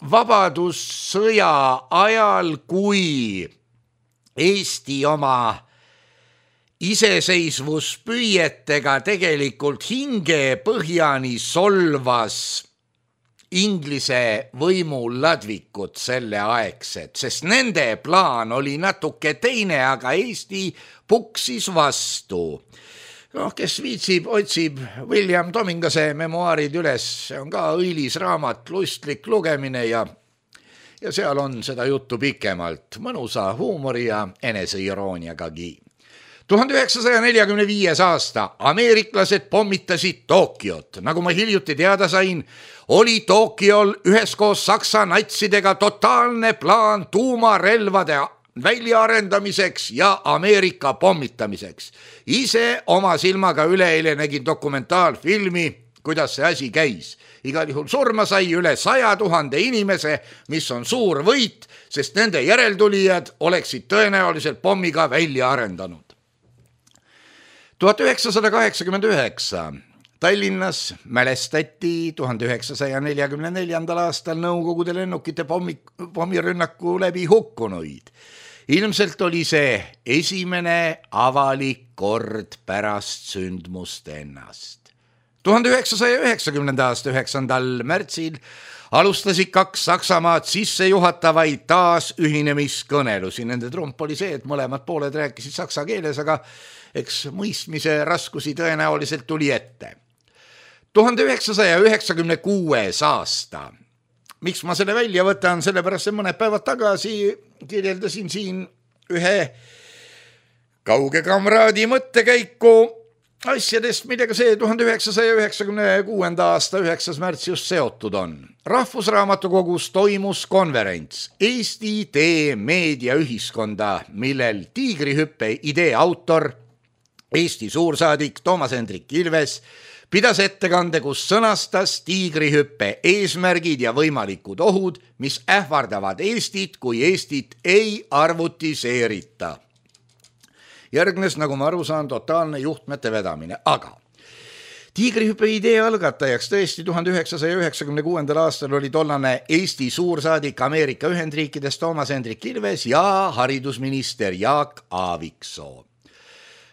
vabadussõja ajal, kui Eesti oma iseseisvuspüüetega tegelikult hinge põhjani solvas Inglise võimuladvikut selle aegset, sest nende plaan oli natuke teine, aga Eesti puksis vastu. Noh, kes viitsib, otsib William Tomingase memuaarid üles, see on ka õilis raamat, lustlik lugemine ja, ja seal on seda juttu pikemalt, mõnusa huumori ja eneseirooniagagi. tuhande üheksasaja neljakümne viies aasta ameeriklased pommitasid Tokyot. Nagu ma hiljuti teada sain, oli Tokyol üheskoos Saksa natsidega totaalne plaan tuumarelvade väljaarendamiseks ja Ameerika pommitamiseks. Ise oma silmaga üleeile nägin dokumentaalfilmi kuidas see asi käis. Igal juhul surma sai üle saja tuhande inimese, mis on suur võit, sest nende järeltulijad oleksid tõenäoliselt pommiga välja arendanud. tuhat üheksasada kaheksakümmend üheksa Tallinnas mälestati tuhande üheksasaja neljakümne neljandal aastal Nõukogude lennukite pommi, pommirünnaku läbi hukkunuid. Ilmselt oli see esimene avalik kord pärast sündmust ennast. tuhande üheksasaja üheksakümnenda aasta üheksandal märtsil alustasid kaks Saksamaad sissejuhatavaid taasühinemiskõnelusi. Nende trump oli see, et mõlemad pooled rääkisid saksa keeles, aga eks mõistmise raskusi tõenäoliselt tuli ette. tuhande üheksasaja üheksakümne kuues aasta. Miks ma selle välja võtan? Sellepärast, et mõned päevad tagasi kirjeldasin siin ühe kauge kamraadi mõttekäiku asjadest, millega see tuhande üheksasaja üheksakümne kuuenda aasta üheksas märts just seotud on. Rahvusraamatukogus toimus konverents Eesti tee meediaühiskonda, millel Tiigrihüppe idee autor, Eesti suursaadik Toomas Hendrik Ilves pidas ettekande, kus sõnastas Tiigrihüppe eesmärgid ja võimalikud ohud, mis ähvardavad Eestit, kui Eestit ei arvutiseerita. Järgnes, nagu ma aru saan, totaalne juhtmete vedamine, aga Tiigrihüppe idee algatajaks tõesti tuhande üheksasaja üheksakümne kuuendal aastal oli tollane Eesti suursaadik Ameerika Ühendriikides Toomas Hendrik Ilves ja haridusminister Jaak Aaviksoo.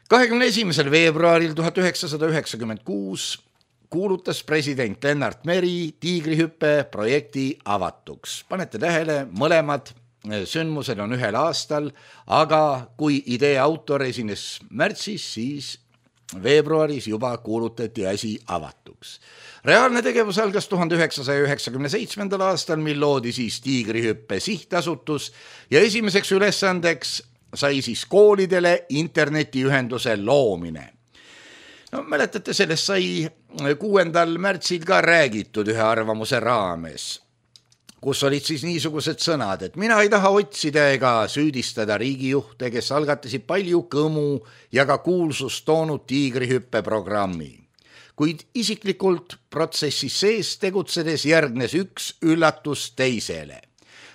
kahekümne esimesel veebruaril tuhat üheksasada üheksakümmend kuus kuulutas president Lennart Meri Tiigrihüppe projekti avatuks. Panete tähele, mõlemad sündmused on ühel aastal, aga kui idee autor esines märtsis, siis veebruaris juba kuulutati asi avatuks. Reaalne tegevus algas tuhande üheksasaja üheksakümne seitsmendal aastal, mil loodi siis Tiigrihüppe sihtasutus ja esimeseks ülesandeks sai siis koolidele internetiühenduse loomine. No, mäletate, sellest sai kuuendal märtsil ka räägitud ühe arvamuse raames, kus olid siis niisugused sõnad, et mina ei taha otsida ega süüdistada riigijuhte, kes algatasid palju kõmu ja ka kuulsust toonud Tiigrihüppe programmi. Kuid isiklikult protsessis sees tegutsedes järgnes üks üllatus teisele.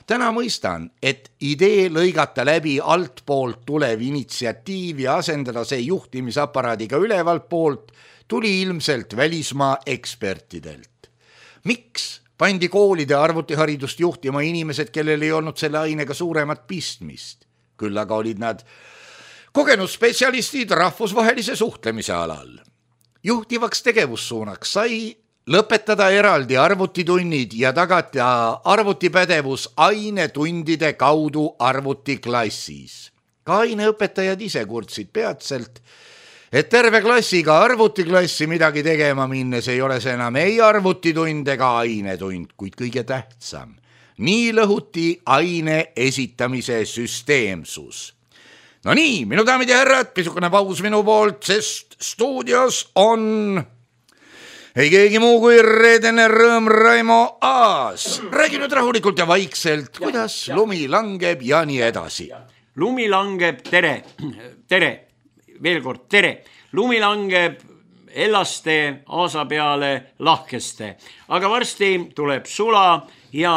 Täna mõistan, et idee lõigata läbi altpoolt tulev initsiatiiv ja asendada see juhtimisaparaadiga ülevalt poolt tuli ilmselt välismaa ekspertidelt. Miks pandi koolide arvutiharidust juhtima inimesed, kellel ei olnud selle ainega suuremat pistmist? Küll aga olid nad kogenud spetsialistid rahvusvahelise suhtlemise alal. Juhtivaks tegevussuunaks sai lõpetada eraldi arvutitunnid ja tagada arvutipädevus ainetundide kaudu arvutiklassis. Ka aineõpetajad ise kurtsid peatselt, et terve klassiga arvutiklassi midagi tegema minnes ei ole see enam ei arvutitund ega ainetund, kuid kõige tähtsam. Nii lõhuti aine esitamise süsteemsus. No nii, minu daamid ja härrad, pisukene paus minu poolt, sest stuudios on ei keegi muu kui reedene rõõm Raimo Aas. Räägi nüüd rahulikult ja vaikselt, kuidas ja, ja. lumi langeb ja nii edasi. Lumi langeb, tere, tere, veel kord tere. Lumi langeb Ellaste, Aasa peale, Lahkeste. Aga varsti tuleb sula ja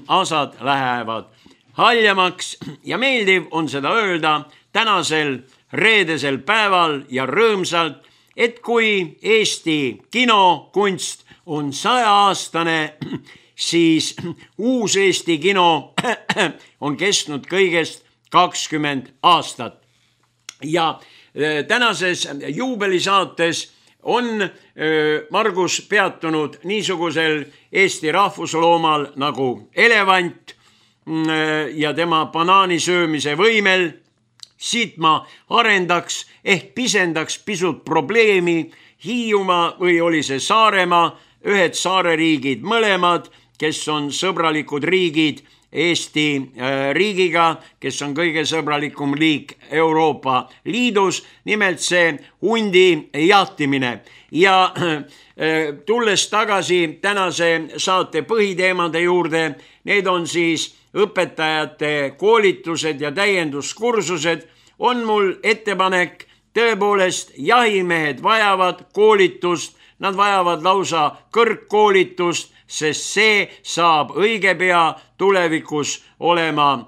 Aasad lähevad haljamaks ja meeldiv on seda öelda tänasel reedesel päeval ja rõõmsalt, et kui Eesti kinokunst on sajaaastane, siis uus Eesti kino on kestnud kõigest kakskümmend aastat. Ja tänases juubelisaates on Margus peatunud niisugusel Eesti rahvusloomal nagu elevant ja tema banaani söömise võimel. Siit ma arendaks ehk pisendaks pisut probleemi Hiiumaa või oli see Saaremaa, ühed saareriigid mõlemad, kes on sõbralikud riigid Eesti riigiga, kes on kõige sõbralikum liik Euroopa Liidus, nimelt see hundi jahtimine. Ja tulles tagasi tänase saate põhiteemade juurde, need on siis õpetajate koolitused ja täienduskursused, on mul ettepanek, tõepoolest jahimehed vajavad koolitust, nad vajavad lausa kõrgkoolitust, sest see saab õige pea tulevikus olema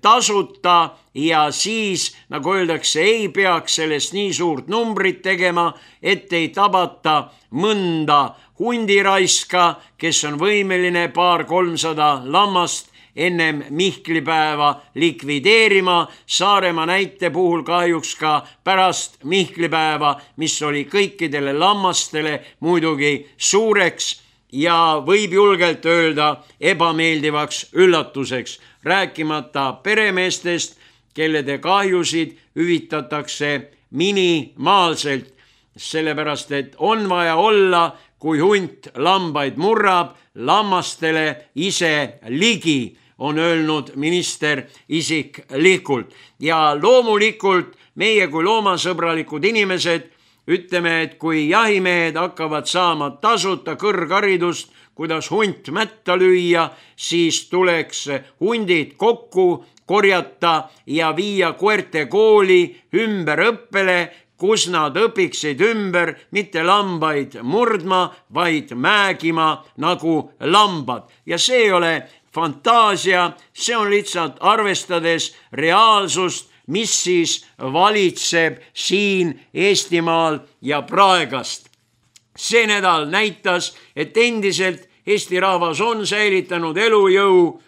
tasuta ja siis, nagu öeldakse, ei peaks sellest nii suurt numbrit tegema, et ei tabata mõnda hundiraiska, kes on võimeline paar-kolmsada lammast ennem Mihklipäeva likvideerima. Saaremaa näite puhul kahjuks ka pärast Mihklipäeva, mis oli kõikidele lammastele muidugi suureks ja võib julgelt öelda ebameeldivaks üllatuseks, rääkimata peremeestest, kellede kahjusid hüvitatakse minimaalselt, sellepärast et on vaja olla, kui hunt lambaid murrab, lammastele ise ligi, on öelnud minister isiklikult. Ja loomulikult meie kui loomasõbralikud inimesed ütleme, et kui jahimehed hakkavad saama tasuta kõrgharidust, kuidas hunt mätta lüüa, siis tuleks hundid kokku korjata ja viia koerte kooli ümberõppele, kus nad õpiksid ümber mitte lambaid murdma, vaid määgima nagu lambad. Ja see ei ole fantaasia, see on lihtsalt arvestades reaalsust, mis siis valitseb siin Eestimaal ja praegast. See nädal näitas, et endiselt Eesti rahvas on säilitanud elujõu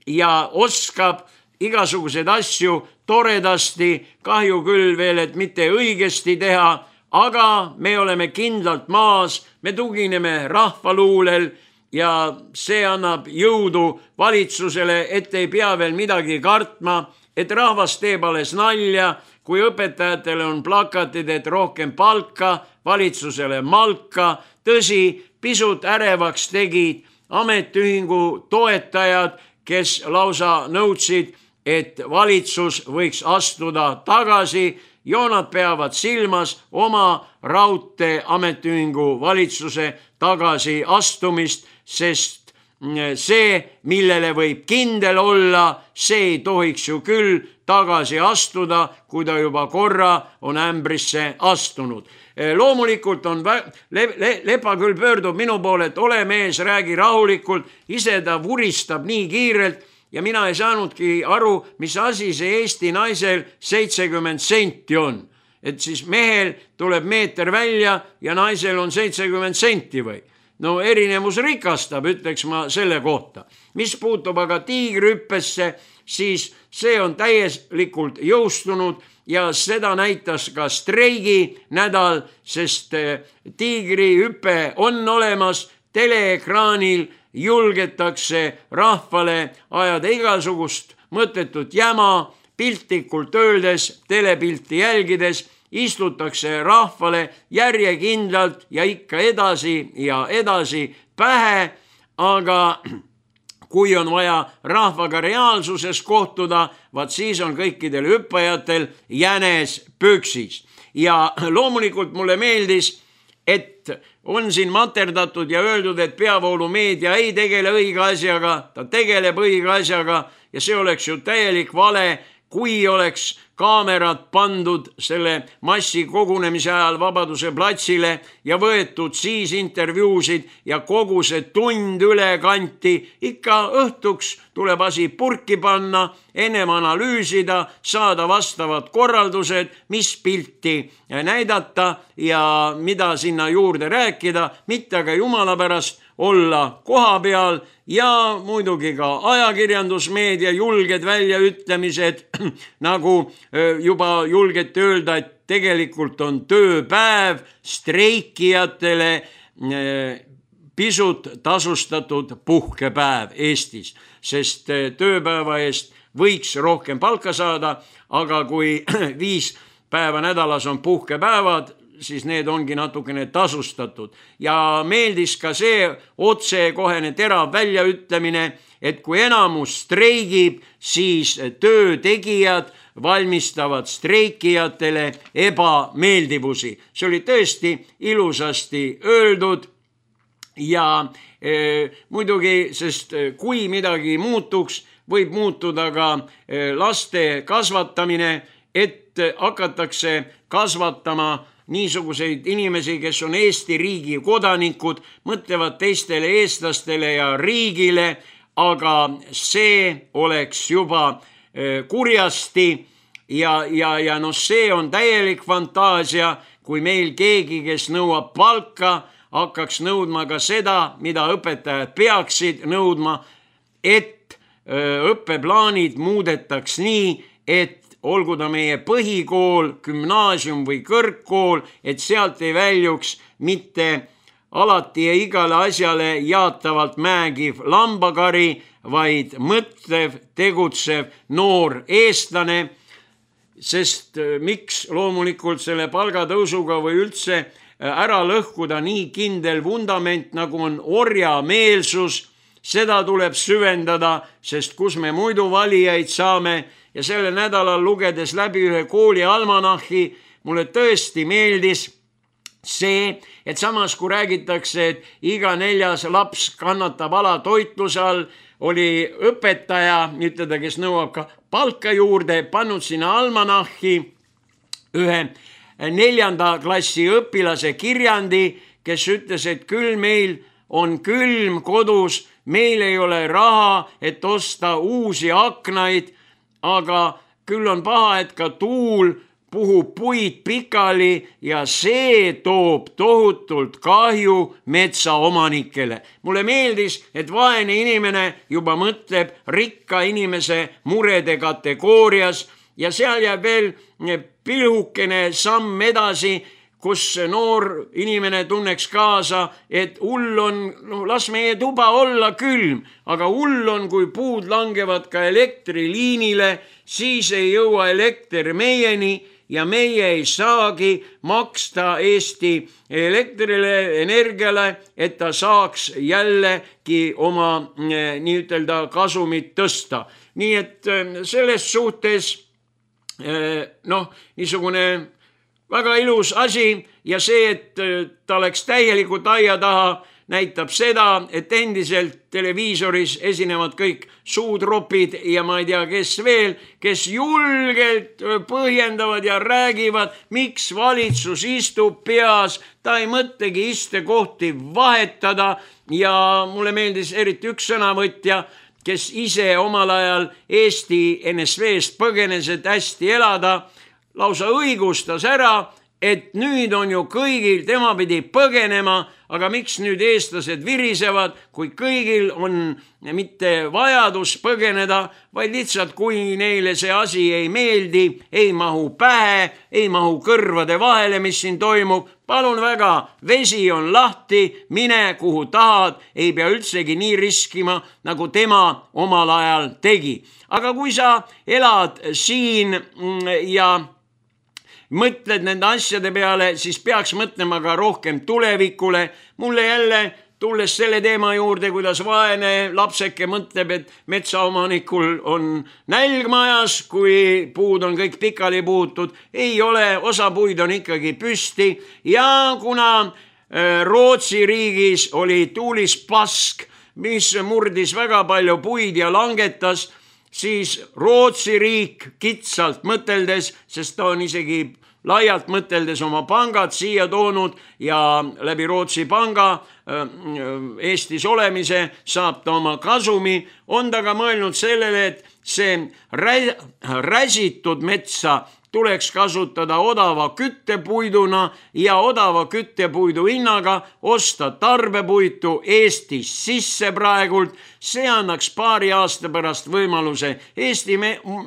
ja oskab igasuguseid asju toredasti, kahju küll veel, et mitte õigesti teha, aga me oleme kindlalt maas, me tugineme rahvaluulel ja see annab jõudu valitsusele, et ei pea veel midagi kartma, et rahvas teeb alles nalja, kui õpetajatele on plakatid, et rohkem palka, valitsusele malka. Tõsi, pisut ärevaks tegid ametiühingu toetajad, kes lausa nõudsid, et valitsus võiks astuda tagasi ja nad peavad silmas oma raudtee ametiühingu valitsuse tagasi astumist, sest see, millele võib kindel olla, see ei tohiks ju küll tagasi astuda, kui ta juba korra on ämbrisse astunud. Loomulikult on vä- le le Lepa küll pöördub minu poole, et ole mees, räägi rahulikult, ise ta vuristab nii kiirelt ja mina ei saanudki aru, mis asi see Eesti naisel seitsekümmend senti on. Et siis mehel tuleb meeter välja ja naisel on seitsekümmend senti või? No erinevus rikastab, ütleks ma selle kohta. Mis puutub aga tiigrihüppesse, siis see on täielikult jõustunud ja seda näitas ka streigi nädal, sest tiigrihüpe on olemas, teleekraanil julgetakse rahvale ajada igasugust mõttetut jäma, piltlikult öeldes, telepilti jälgides, istutakse rahvale järjekindlalt ja ikka edasi ja edasi pähe, aga kui on vaja rahvaga reaalsuses kohtuda, vaat siis on kõikidel hüppajatel jänes püksis. Ja loomulikult mulle meeldis, et on siin materdatud ja öeldud, et peavoolumeedia ei tegele õige asjaga, ta tegeleb õige asjaga ja see oleks ju täielik vale, kui oleks kaamerad pandud selle massi kogunemise ajal Vabaduse platsile ja võetud siis intervjuusid ja kogu see tund üle kanti, ikka õhtuks tuleb asi purki panna, ennem analüüsida, saada vastavad korraldused, mis pilti näidata ja mida sinna juurde rääkida, mitte aga jumala pärast olla koha peal ja muidugi ka ajakirjandusmeedia julged väljaütlemised, nagu juba julgete öelda, et tegelikult on tööpäev streikijatele pisut tasustatud puhkepäev Eestis, sest tööpäeva eest võiks rohkem palka saada, aga kui viis päeva nädalas on puhkepäevad, siis need ongi natukene tasustatud. Ja meeldis ka see otsekohene terav väljaütlemine, et kui enamus streigib, siis töötegijad valmistavad streikijatele ebameeldivusi. See oli tõesti ilusasti öeldud ja e, muidugi, sest kui midagi muutuks, võib muutuda ka laste kasvatamine, et et hakatakse kasvatama niisuguseid inimesi, kes on Eesti riigi kodanikud, mõtlevad teistele eestlastele ja riigile, aga see oleks juba kurjasti ja, ja, ja noh, see on täielik fantaasia, kui meil keegi, kes nõuab palka, hakkaks nõudma ka seda, mida õpetajad peaksid nõudma, et õppeplaanid muudetaks nii, et olgu ta meie põhikool, gümnaasium või kõrgkool, et sealt ei väljuks mitte alati ja igale asjale jaatavalt määgiv lambakari, vaid mõtlev, tegutsev noor eestlane, sest miks loomulikult selle palgatõusuga või üldse ära lõhkuda nii kindel vundament, nagu on orjameelsus, seda tuleb süvendada, sest kus me muidu valijaid saame. Ja selle nädalal lugedes läbi ühe kooli almanahhi, mulle tõesti meeldis see, et samas kui räägitakse, et iga neljas laps kannatab alatoitluse all, oli õpetaja, ütleda, kes nõuab ka palka juurde, pannud sinna almanahhi ühe neljanda klassi õpilase kirjandi, kes ütles, et küll meil on külm kodus, meil ei ole raha, et osta uusi aknaid, aga küll on paha, et ka tuul puhub puid pikali ja see toob tohutult kahju metsaomanikele. Mulle meeldis, et vaene inimene juba mõtleb rikka inimese murede kategoorias ja seal jääb veel pilhukene samm edasi, kus noor inimene tunneks kaasa, et hull on, no las meie tuba olla külm, aga hull on, kui puud langevad ka elektriliinile, siis ei jõua elekter meieni ja meie ei saagi maksta Eesti elektrile, energiale, et ta saaks jällegi oma nii-ütelda kasumit tõsta. Nii et selles suhtes noh, niisugune väga ilus asi ja see, et ta oleks täielikult aia taha, näitab seda, et endiselt televiisoris esinevad kõik suutropid ja ma ei tea, kes veel, kes julgelt põhjendavad ja räägivad, miks valitsus istub peas, ta ei mõtlegi istekohti vahetada ja mulle meeldis eriti üks sõnavõtja, kes ise omal ajal Eesti N S V-st põgenes, et hästi elada, lausa õigustas ära, et nüüd on ju kõigil, tema pidi põgenema, aga miks nüüd eestlased virisevad, kui kõigil on mitte vajadus põgeneda, vaid lihtsalt kui neile see asi ei meeldi, ei mahu pähe, ei mahu kõrvade vahele, mis siin toimub, palun väga, vesi on lahti, mine kuhu tahad, ei pea üldsegi nii riskima, nagu tema omal ajal tegi. Aga kui sa elad siin ja mõtled nende asjade peale, siis peaks mõtlema ka rohkem tulevikule. Mulle jälle, tulles selle teema juurde, kuidas vaene lapseke mõtleb, et metsaomanikul on nälg majas, kui puud on kõik pikali puutud, ei ole, osa puid on ikkagi püsti ja kuna Rootsi riigis oli tuulispask, mis murdis väga palju puid ja langetas, siis Rootsi riik kitsalt mõteldes, sest ta on isegi laialt mõteldes oma pangad siia toonud ja läbi Rootsi panga Eestis olemise saab ta oma kasumi, on ta ka mõelnud sellele, et see räsitud metsa tuleks kasutada odava küttepuiduna ja odava küttepuidu hinnaga osta tarbepuitu Eestis sisse praegult. See annaks paari aasta pärast võimaluse Eesti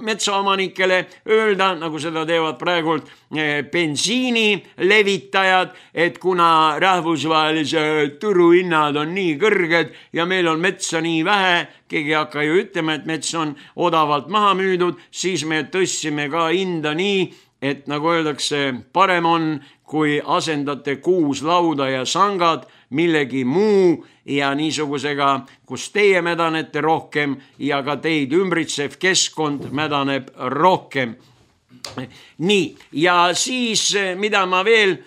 metsaomanikele öelda, nagu seda teevad praegult bensiini levitajad, et kuna rahvusvahelise turuhinnad on nii kõrged ja meil on metsa nii vähe, keegi ei hakka ju ütlema, et mets on odavalt maha müüdud, siis me tõstsime ka hinda nii, et nagu öeldakse, parem on, kui asendate kuus lauda ja sangad millegi muu ja niisugusega, kus teie mädanete rohkem ja ka teid ümbritsev keskkond mädaneb rohkem. nii, ja siis, mida ma veel,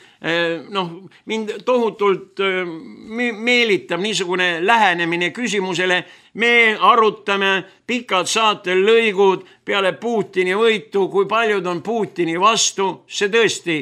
noh, mind tohutult meelitab niisugune lähenemine küsimusele, me arutame pikad saatel lõigud peale Putini võitu, kui paljud on Putini vastu, see tõesti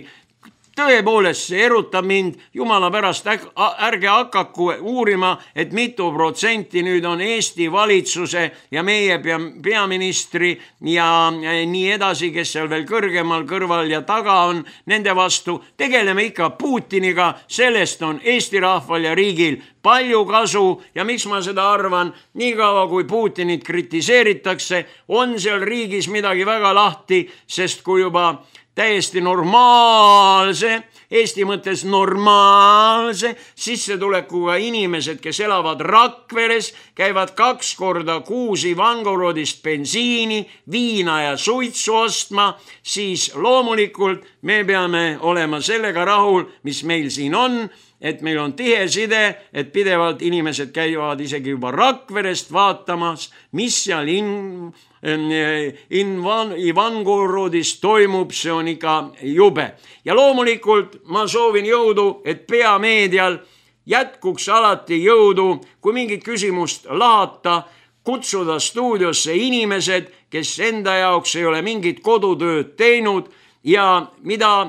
tõepoolest, see erutab mind, jumala pärast, ärge hakaku uurima, et mitu protsenti nüüd on Eesti valitsuse ja meie peaministri ja nii edasi, kes seal veel kõrgemal kõrval ja taga on, nende vastu. Tegeleme ikka Putiniga, sellest on Eesti rahval ja riigil palju kasu ja miks ma seda arvan, nii kaua kui Putinit kritiseeritakse, on seal riigis midagi väga lahti, sest kui juba täiesti normaalse, Eesti mõttes normaalse sissetulekuga inimesed, kes elavad Rakveres, käivad kaks korda kuus Ivangorodist bensiini, viina ja suitsu ostma, siis loomulikult me peame olema sellega rahul, mis meil siin on, et meil on tihe side, et pidevalt inimesed käivad isegi juba Rakverest vaatamas, mis seal in, in Ivangorodis toimub, see on ikka jube. Ja loomulikult ma soovin jõudu, et peameedial jätkuks alati jõudu, kui mingit küsimust lahata, kutsuda stuudiosse inimesed, kes enda jaoks ei ole mingit kodutööd teinud ja mida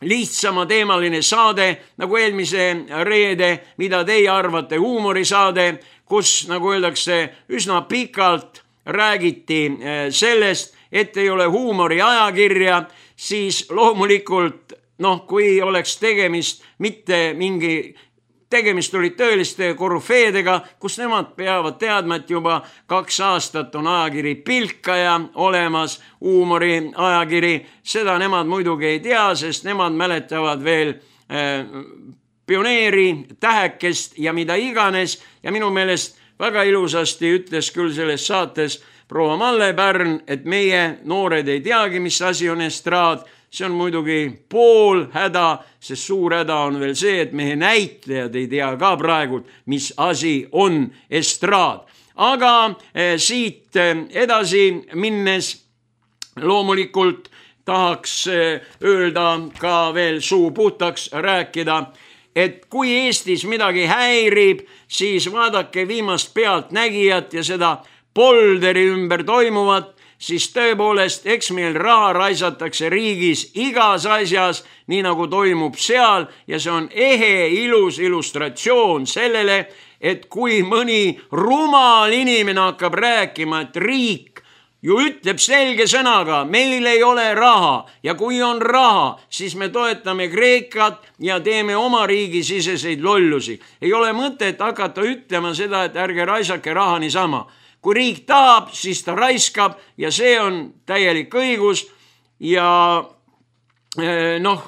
lihtsama teemaline saade, nagu eelmise reede, mida teie arvate huumorisaade, kus, nagu öeldakse, üsna pikalt räägiti sellest, et ei ole huumori ajakirja, siis loomulikult, noh, kui oleks tegemist mitte mingi, tegemist oli tõeliste korüfeedega, kus nemad peavad teadma, et juba kaks aastat on ajakiri Pilkaja olemas, huumori ajakiri, seda nemad muidugi ei tea, sest nemad mäletavad veel äh, pioneeri, tähekest ja mida iganes ja minu meelest väga ilusasti ütles küll selles saates proua Malle Pärn, et meie noored ei teagi, mis asi on estraad. See on muidugi pool häda, sest suur häda on veel see, et meie näitlejad ei tea ka praegu, mis asi on estraad. Aga eh, siit edasi minnes loomulikult tahaks eh, öelda ka veel suu puhtaks rääkida, et kui Eestis midagi häirib, siis vaadake viimast pealtnägijat ja seda polderi ümber toimuvat, siis tõepoolest, eks meil raha raisatakse riigis igas asjas, nii nagu toimub seal ja see on ehe ilus illustratsioon sellele, et kui mõni rumal inimene hakkab rääkima, et riik ju ütleb selge sõnaga, meil ei ole raha ja kui on raha, siis me toetame Kreekat ja teeme oma riigi siseseid lollusi. Ei ole mõtet hakata ütlema seda, et ärge raisake raha niisama. Kui riik tahab, siis ta raiskab ja see on täielik õigus ja noh,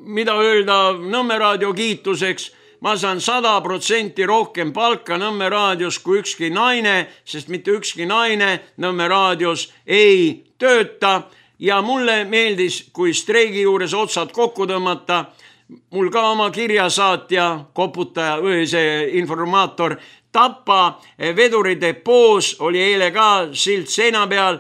mida öelda Nõmme raadio kiituseks, ma saan sada protsenti rohkem palka Nõmme raadios kui ükski naine, sest mitte ükski naine Nõmme raadios ei tööta ja mulle meeldis, kui streigi juures otsad kokku tõmmata, mul ka oma kirjasaatja, koputaja või see informaator Tapa veduridepoos oli eile ka silt seina peal,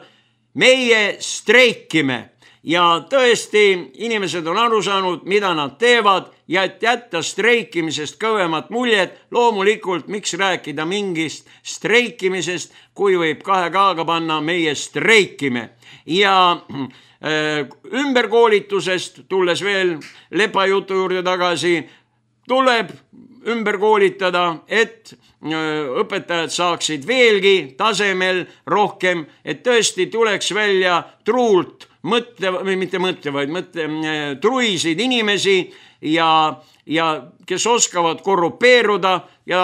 meie streikime ja tõesti inimesed on aru saanud, mida nad teevad ja et jätta streikimisest kõvemat muljet, loomulikult miks rääkida mingist streikimisest, kui võib kahe kaaga panna meie streikime ja äh, ümberkoolitusest, tulles veel lepajutu juurde tagasi, tuleb ümber koolitada, et õpetajad saaksid veelgi tasemel rohkem, et tõesti tuleks välja truult mõtle, või mitte mõtle, vaid mõtle, truisid inimesi ja, ja kes oskavad korrupeeruda ja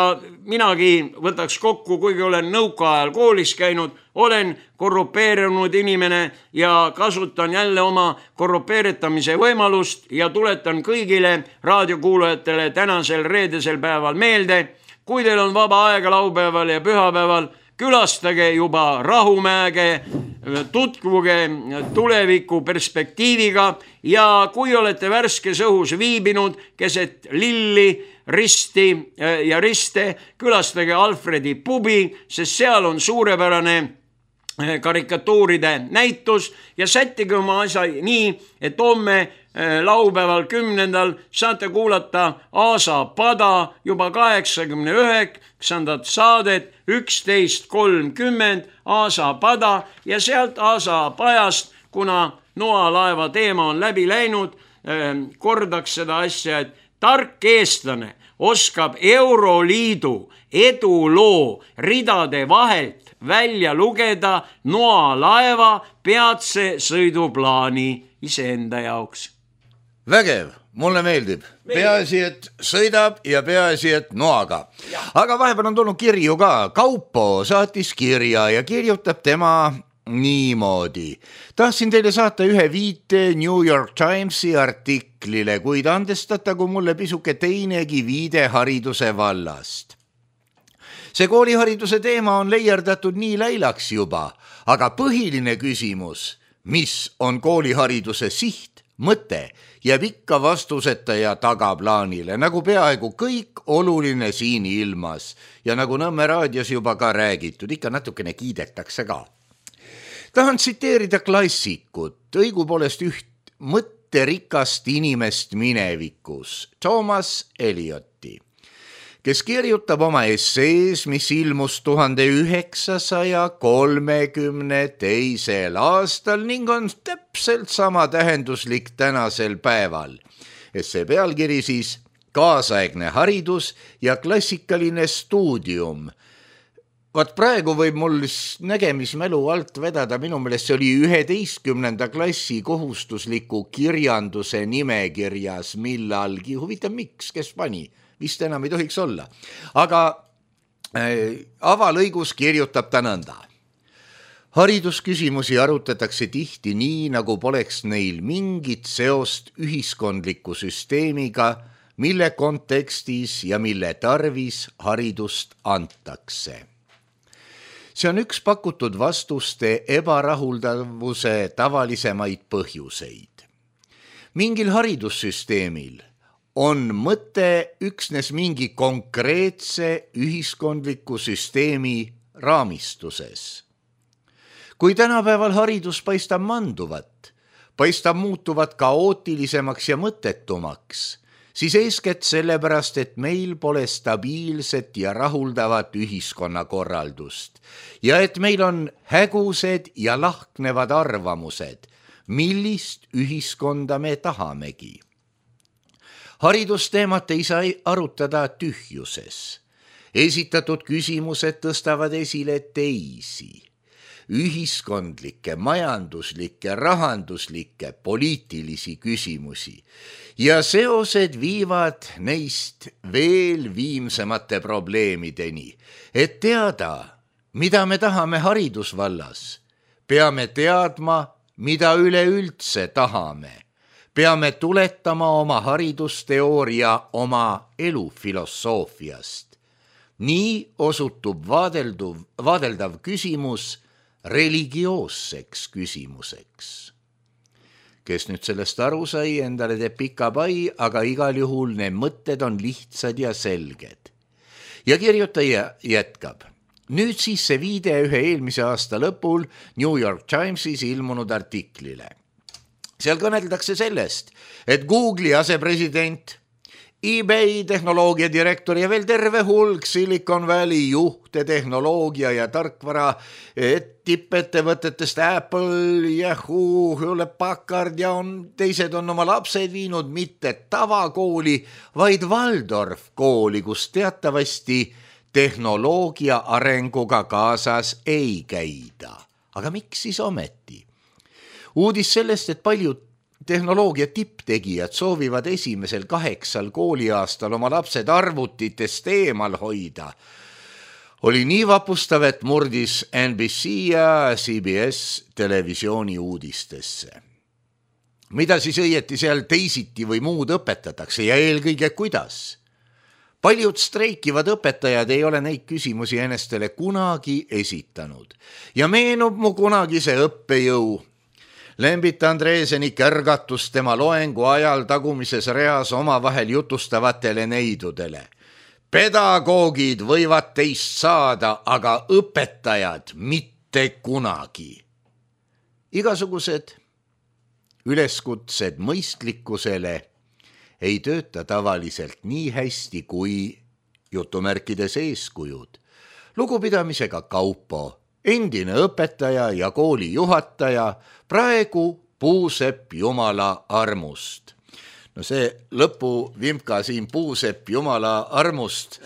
minagi võtaks kokku, kuigi olen nõukaajal koolis käinud, olen korrupeerunud inimene ja kasutan jälle oma korrupeeritamise võimalust ja tuletan kõigile raadiokuulajatele tänasel reedesel päeval meelde, kui teil on vaba aega laupäeval ja pühapäeval, külastage juba Rahumäge, tutvuge tuleviku perspektiiviga ja kui olete värskes õhus viibinud keset lilli, risti ja riste, külastage Alfredi pubi, sest seal on suurepärane karikatuuride näitus ja sättige oma asja nii, et homme laupäeval kümnendal saate kuulata Aasa pada juba kaheksakümne üheksandat saadet üksteist kolmkümmend Aasa pada ja sealt Aasa pajast, kuna noalaeva teema on läbi läinud, kordaks seda asja, et tark eestlane oskab Euroliidu eduloo ridade vahelt välja lugeda noalaeva peatse sõiduplaani iseenda jaoks. Vägev, mulle meeldib. Peaasi, et sõidab ja peaasi, et noaga. Aga vahepeal on tulnud kirju ka. Kaupo saatis kirja ja kirjutab tema niimoodi. Tahtsin teile saata ühe viite New York Timesi artiklile, kuid andestatagu mulle pisuke teinegi viide hariduse vallast. See koolihariduse teema on leierdatud nii läilaks juba, aga põhiline küsimus, mis on koolihariduse siht, mõte, jääb ikka vastuseta ja tagaplaanile, nagu peaaegu kõik oluline siin ilmas ja nagu Nõmme raadios juba ka räägitud, ikka natukene kiidetakse ka. Tahan tsiteerida klassikut, õigupoolest üht mõtterikast inimest minevikus, Thomas Elioti, kes kirjutab oma essees, mis ilmus tuhande üheksasaja kolmekümne teisel aastal ning on täpselt sama tähenduslik tänasel päeval. Essee pealkiri siis Kaasaegne haridus ja klassikaline stuudium. Vaat praegu võib mul nägemismälu alt vedada, minu meelest see oli üheteistkümnenda klassi kohustusliku kirjanduse nimekirjas millalgi. Huvitav, miks, kes pani? Vist enam ei tohiks olla. Aga äh, avalõigus kirjutab ta nõnda. Haridusküsimusi arutatakse tihti nii, nagu poleks neil mingit seost ühiskondliku süsteemiga, mille kontekstis ja mille tarvis haridust antakse. See on üks pakutud vastuste ebarahuldavuse tavalisemaid põhjuseid. Mingil haridussüsteemil on mõte üksnes mingi konkreetse ühiskondliku süsteemi raamistuses. Kui tänapäeval haridus paistab manduvat, paistab muutuvat kaootilisemaks ja mõttetumaks, siis eeskätt sellepärast, et meil pole stabiilset ja rahuldavat ühiskonnakorraldust ja et meil on hägused ja lahknevad arvamused, millist ühiskonda me tahamegi. Haridusteemat ei saa arutada tühjuses. Esitatud küsimused tõstavad esile teisi, ühiskondlikke, majanduslikke, rahanduslikke, poliitilisi küsimusi ja seosed viivad neist veel viimsemate probleemideni. Et teada, mida me tahame haridusvallas, peame teadma, mida üleüldse tahame. Peame tuletama oma haridusteooria oma elufilosoofiast. Nii osutub vaadelduv, vaadeldav küsimus religioosseks küsimuseks. Kes nüüd sellest aru sai, endale teeb pika pai, aga igal juhul need mõtted on lihtsad ja selged. Ja kirjutaja jätkab. Nüüd siis see viide ühe eelmise aasta lõpul New York Timesis ilmunud artiklile. Seal kõneldakse sellest, et Google'i asepresident, eBay tehnoloogia direktor ja veel terve hulk Silicon Valley juhte, tehnoloogia ja tarkvara tippettevõtetest Apple, Yahoo, Hewlett Packard ja on, teised on oma lapsed viinud mitte tavakooli, vaid Waldorf kooli, kus teatavasti tehnoloogia arenguga kaasas ei käida. Aga miks siis ometi? Uudis sellest, et paljud tehnoloogia tipptegijad soovivad esimesel kaheksal kooliaastal oma lapsed arvutitest eemal hoida, oli nii vapustav, et murdis N B C ja C B S televisiooni uudistesse. Mida siis õieti seal teisiti või muud õpetatakse ja eelkõige kuidas? Paljud streikivad õpetajad ei ole neid küsimusi enestele kunagi esitanud ja meenub mu kunagise õppejõu Lembit Andreeseni kärgatus tema loengu ajal tagumises reas omavahel jutustavatele neidudele. Pedagoogid võivad teist saada, aga õpetajad mitte. mitte kunagi. Igasugused üleskutsed mõistlikkusele ei tööta tavaliselt nii hästi kui jutumärkides eeskujud. Lugupidamisega Kaupo, endine õpetaja ja kooli juhataja, praegu Puusepp Jumala armust. No see lõpuvimka siin Puusepp Jumala armust,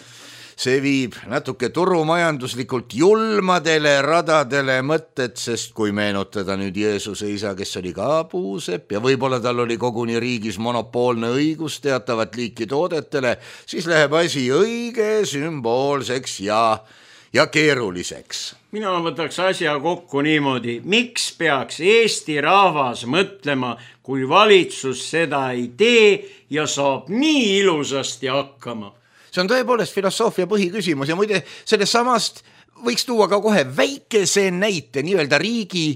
see viib natuke turumajanduslikult julmadele radadele mõtted, sest kui meenutada nüüd Jeesuse isa, kes oli ka Puusepp ja võib-olla tal oli koguni riigis monopoolne õigus teatavat liiki toodetele, siis läheb asi õige sümboolseks ja, ja keeruliseks. Mina võtaks asja kokku niimoodi, miks peaks Eesti rahvas mõtlema, kui valitsus seda ei tee ja saab nii ilusasti hakkama. See on tõepoolest filosoofia põhiküsimus ja muide sellest samast võiks tuua ka kohe väikese näite nii-öelda riigi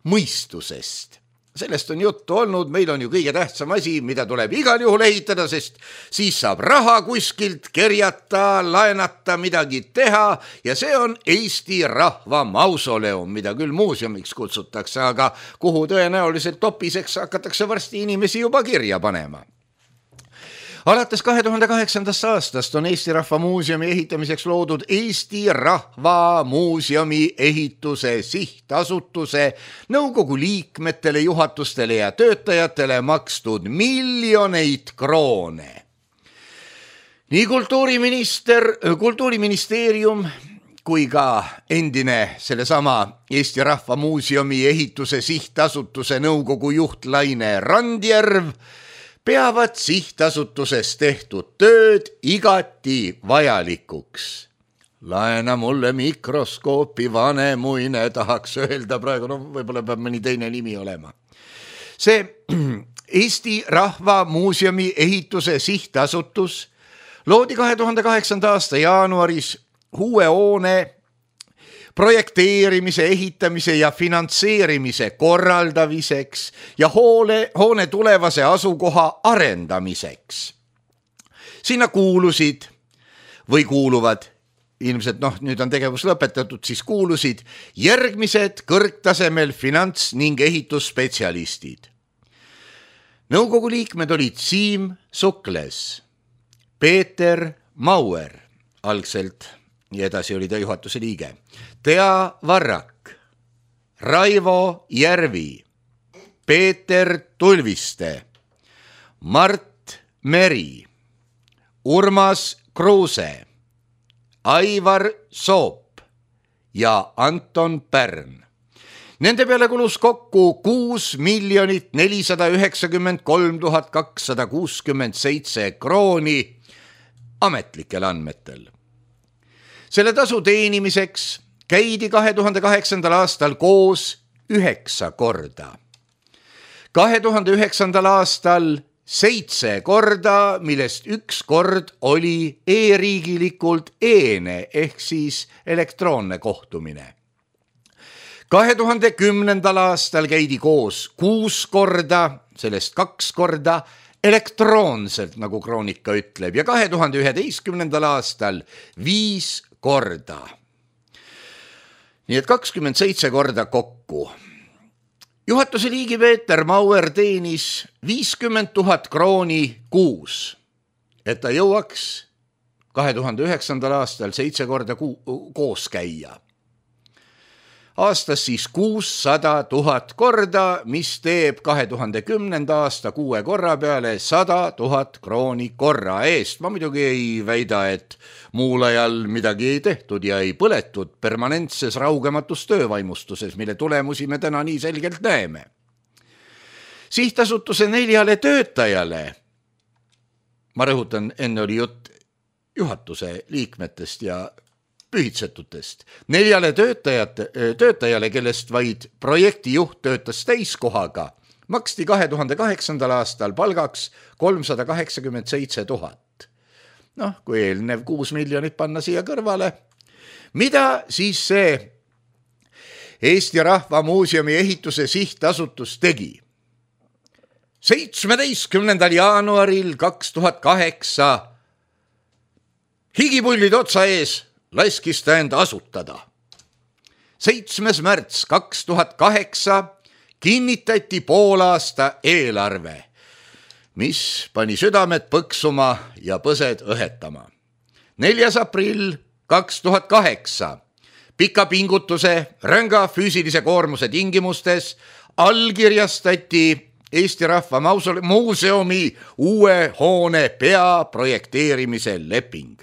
mõistusest. Sellest on juttu olnud, meil on ju kõige tähtsam asi, mida tuleb igal juhul ehitada, sest siis saab raha kuskilt kerjata, laenata, midagi teha ja see on Eesti rahva mausoleum, mida küll muuseumiks kutsutakse, aga kuhu tõenäoliselt topiseks hakatakse varsti inimesi juba kirja panema. Alates kahe tuhande kaheksandast aastast on Eesti Rahva Muuseumi ehitamiseks loodud Eesti Rahva Muuseumi ehituse sihtasutuse nõukogu liikmetele, juhatustele ja töötajatele makstud miljoneid kroone. Nii kultuuriminister, kultuuriministeerium kui ka endine sellesama Eesti Rahva Muuseumi ehituse sihtasutuse nõukogu juht Laine Randjärv peavad sihtasutuses tehtud tööd igati vajalikuks. Laena mulle mikroskoopi vanemuine, tahaks öelda praegu, no võib-olla peab mõni teine nimi olema. See Eesti Rahva Muuseumi ehituse sihtasutus loodi kahe tuhande kaheksanda aasta jaanuaris uue hoone projekteerimise, ehitamise ja finantseerimise korraldamiseks ja hoole, hoone tulevase asukoha arendamiseks. Sinna kuulusid või kuuluvad, ilmselt noh, nüüd on tegevus lõpetatud, siis kuulusid järgmised kõrgtasemel finants- ning ehitusspetsialistid. Nõukogu liikmed olid Siim Sukles, Peeter Mauer, algselt ja edasi oli ta juhatuse liige, Tea Varrak, Raivo Järvi, Peeter Tulviste, Mart Meri, Urmas Kruuse, Aivar Soop ja Anton Pärn. Nende peale kulus kokku kuus miljonit nelisada üheksakümmend kolm tuhat kakssada kuuskümmend seitse krooni ametlikel andmetel. Selle tasu teenimiseks käidi kahe tuhande kaheksandal aastal koos üheksa korda. kahe tuhande üheksandal aastal seitse korda, millest üks kord oli e-riigilikult eene ehk siis elektroonne kohtumine. kahe tuhande kümnendal aastal käidi koos kuus korda, sellest kaks korda elektroonselt, nagu kroonika ütleb, ja kahe tuhande üheteistkümnendal aastal viis korda. Nii et kakskümmend seitse korda kokku. Juhatuse liigi Peeter Mauer teenis viiskümmend tuhat krooni kuus, et ta jõuaks kahe tuhande üheksandal aastal seitse korda ku- koos käia. Aastas siis kuussada tuhat korda, mis teeb kahe tuhande kümnenda aasta kuue korra peale sada tuhat krooni korra eest. Ma muidugi ei väida, et muul ajal midagi ei tehtud ja ei põletud permanentses raugematus töövaimustuses, mille tulemusi me täna nii selgelt näeme. Sihtasutuse neljale töötajale, ma rõhutan, enne oli jutt juhatuse liikmetest ja pühitsetutest. Neljale töötajate, töötajale, kellest vaid projektijuht töötas täiskohaga, maksti kahe tuhande kaheksandal aastal palgaks kolmsada kaheksakümmend seitse tuhat. Noh, kui eelnev kuus miljonit panna siia kõrvale, mida siis see Eesti Rahva Muuseumi ehituse sihtasutus tegi? seitsmeteistkümnendal jaanuaril kaks tuhat kaheksa higipullid otsa ees laskis ta end asutada. seitsmes märts kaks tuhat kaheksa kinnitati poolaasta eelarve, mis pani südamed põksuma ja põsed õhetama. neljas aprill kaks tuhat kaheksa pika pingutuse, ränga füüsilise koormuse tingimustes allkirjastati Eesti Rahva Muuseumi uue hoone peaprojekteerimise leping.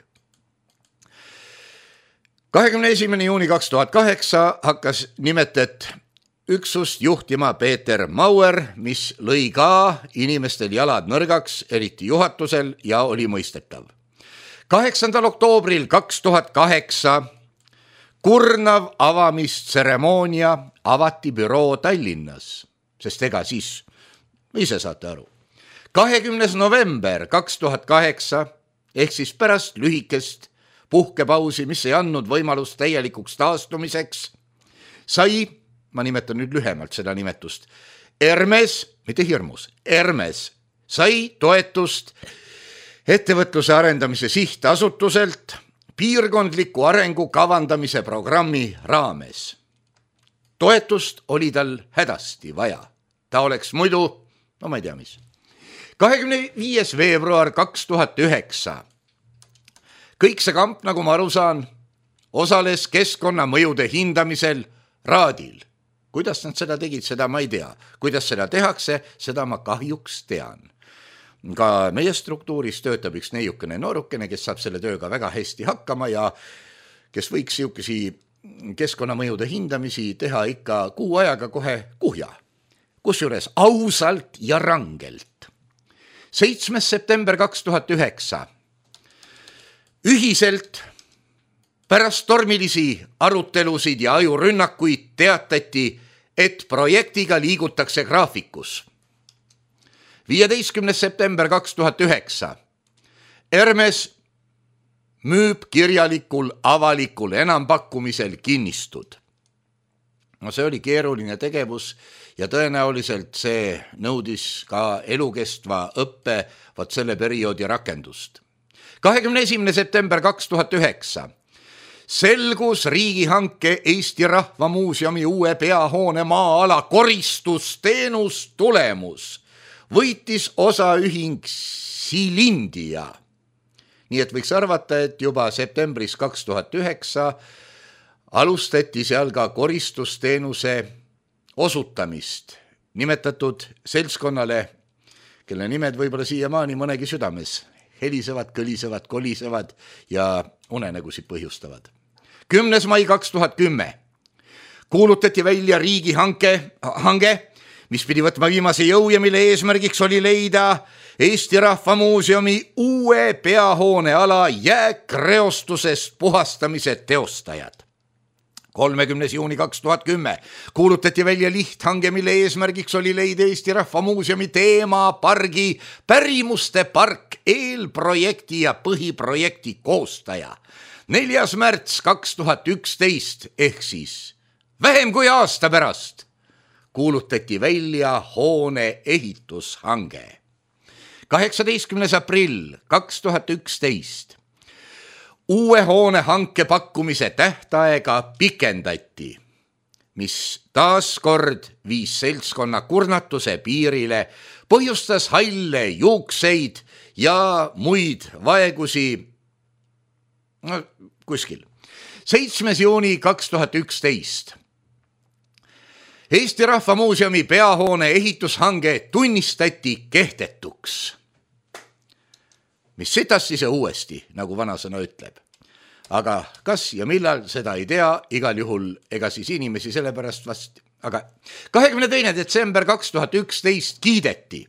kahekümne esimene juuni kaks tuhat kaheksa hakkas nimetet üksust juhtima Peeter Mauer, mis lõi ka inimestel jalad nõrgaks, eriti juhatusel, ja oli mõistetav. kaheksandal oktoobril kaks tuhat kaheksa kurnav avamistseremoonia avati büroo Tallinnas, sest ega siis, ise saate aru. kahekümnes november kaks tuhat kaheksa ehk siis pärast lühikest puhkepausi, mis ei andnud võimalust täielikuks taastumiseks, sai, ma nimetan nüüd lühemalt seda nimetust, Hermes, mitte hirmus, Hermes sai toetust ettevõtluse arendamise sihtasutuselt piirkondliku arengu kavandamise programmi raames. Toetust oli tal hädasti vaja. Ta oleks muidu, no ma ei tea mis. kahekümne viies veebruar kaks tuhat üheksa kõik see kamp, nagu ma aru saan, osales keskkonnamõjude hindamisel Raadil. Kuidas nad seda tegid, seda ma ei tea. Kuidas seda tehakse, seda ma kahjuks tean. Ka meie struktuuris töötab üks neiukene noorukene, kes saab selle tööga väga hästi hakkama ja kes võiks siukesi keskkonnamõjude hindamisi teha ikka kuu ajaga kohe kuhja. Kusjuures ausalt ja rangelt. seitsmes september kaks tuhat üheksa ühiselt pärast tormilisi arutelusid ja ajurünnakuid teatati, et projektiga liigutakse graafikus. viieteistkümnes september kaks tuhat üheksa Hermes müüb kirjalikul avalikul enampakkumisel kinnistud. No see oli keeruline tegevus ja tõenäoliselt see nõudis ka elukestva õppe vaat selle perioodi rakendust. kahekümne esimene september kaks tuhat üheksa selgus riigihanke Eesti Rahva Muuseumi uue peahoone maa-ala koristusteenus tulemus. Võitis osaühing Silindia. Nii et võiks arvata, et juba septembris kaks tuhat üheksa alustati seal ka koristusteenuse osutamist nimetatud seltskonnale, kelle nimed võib-olla siiamaani mõnegi südames helisevad, kõlisevad, kolisevad ja unenägusid põhjustavad. kümnes mai kaks tuhat kümme kuulutati välja riigihanke, hange, mis pidi võtma viimase jõu ja mille eesmärgiks oli leida Eesti Rahva Muuseumi uue peahoone ala jääkreostusest puhastamise teostajad. kolmekümnes juuni kaks tuhat kümme kuulutati välja lihthange, mille eesmärgiks oli leida Eesti Rahva Muuseumi teemapargi pärimuste park eelprojekti ja põhiprojekti koostaja. neljas märts kaks tuhat üksteist ehk siis vähem kui aasta pärast kuulutati välja hoone ehitushange. kaheksateistkümnes aprill kaks tuhat üksteist uue hoone hanke pakkumise tähtaega pikendati, mis taaskord viis seltskonna kurnatuse piirile, põhjustas halle, juukseid ja muid vaegusi no, kuskil. seitsmes juuni kaks tuhat üksteist Eesti Rahva Muuseumi peahoone ehitushange tunnistati kehtetuks. Mis sitasti see uuesti, nagu vanasõna ütleb. Aga kas ja millal, seda ei tea, igal juhul ega siis inimesi sellepärast vast. Aga kahekümne teine detsember kaks tuhat üksteist kiideti.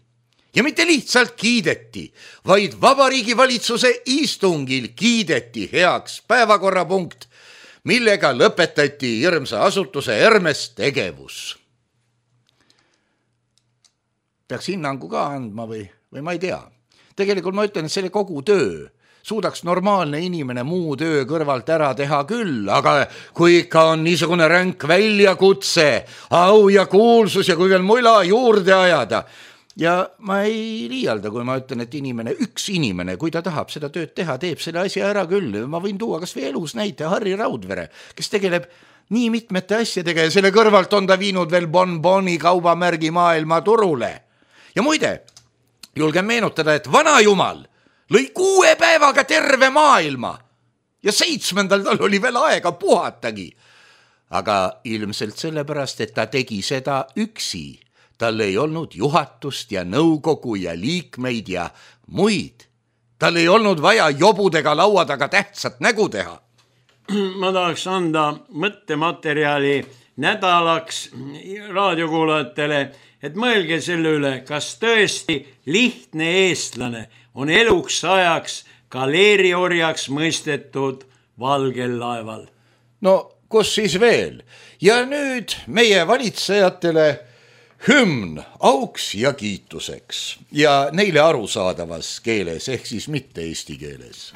Ja mitte lihtsalt kiideti, vaid Vabariigi Valitsuse istungil kiideti heaks päevakorrapunkt, millega lõpetati hirmsa asutuse Hermes tegevus. Peaks hinnangu ka andma või, või ma ei tea. Tegelikult ma ütlen, et selle kogu töö suudaks normaalne inimene muu töö kõrvalt ära teha küll, aga kui ikka on niisugune ränk väljakutse, au ja kuulsus ja kui veel mula juurde ajada, ja ma ei liialda, kui ma ütlen, et inimene, üks inimene, kui ta tahab seda tööd teha, teeb selle asja ära küll. Ma võin tuua kas või elus näite Harri Raudvere, kes tegeleb nii mitmete asjadega ja selle kõrvalt on ta viinud veel bonboni kaubamärgi maailma turule. Ja muide, julgen meenutada, et vana jumal lõi kuue päevaga terve maailma ja seitsmendal tal oli veel aega puhatagi. Aga ilmselt sellepärast, et ta tegi seda üksi. Tal ei olnud juhatust ja nõukogu ja liikmeid ja muid. Tal ei olnud vaja jobudega laua taga tähtsat nägu teha. Ma tahaks anda mõttematerjali nädalaks raadiokuulajatele, et mõelge selle üle, kas tõesti lihtne eestlane on eluks ajaks galeeriorjaks mõistetud valgel laeval. No, kus siis veel? Ja nüüd meie valitsejatele hümn auks ja kiituseks ja neile arusaadavas keeles, ehk siis mitte eesti keeles.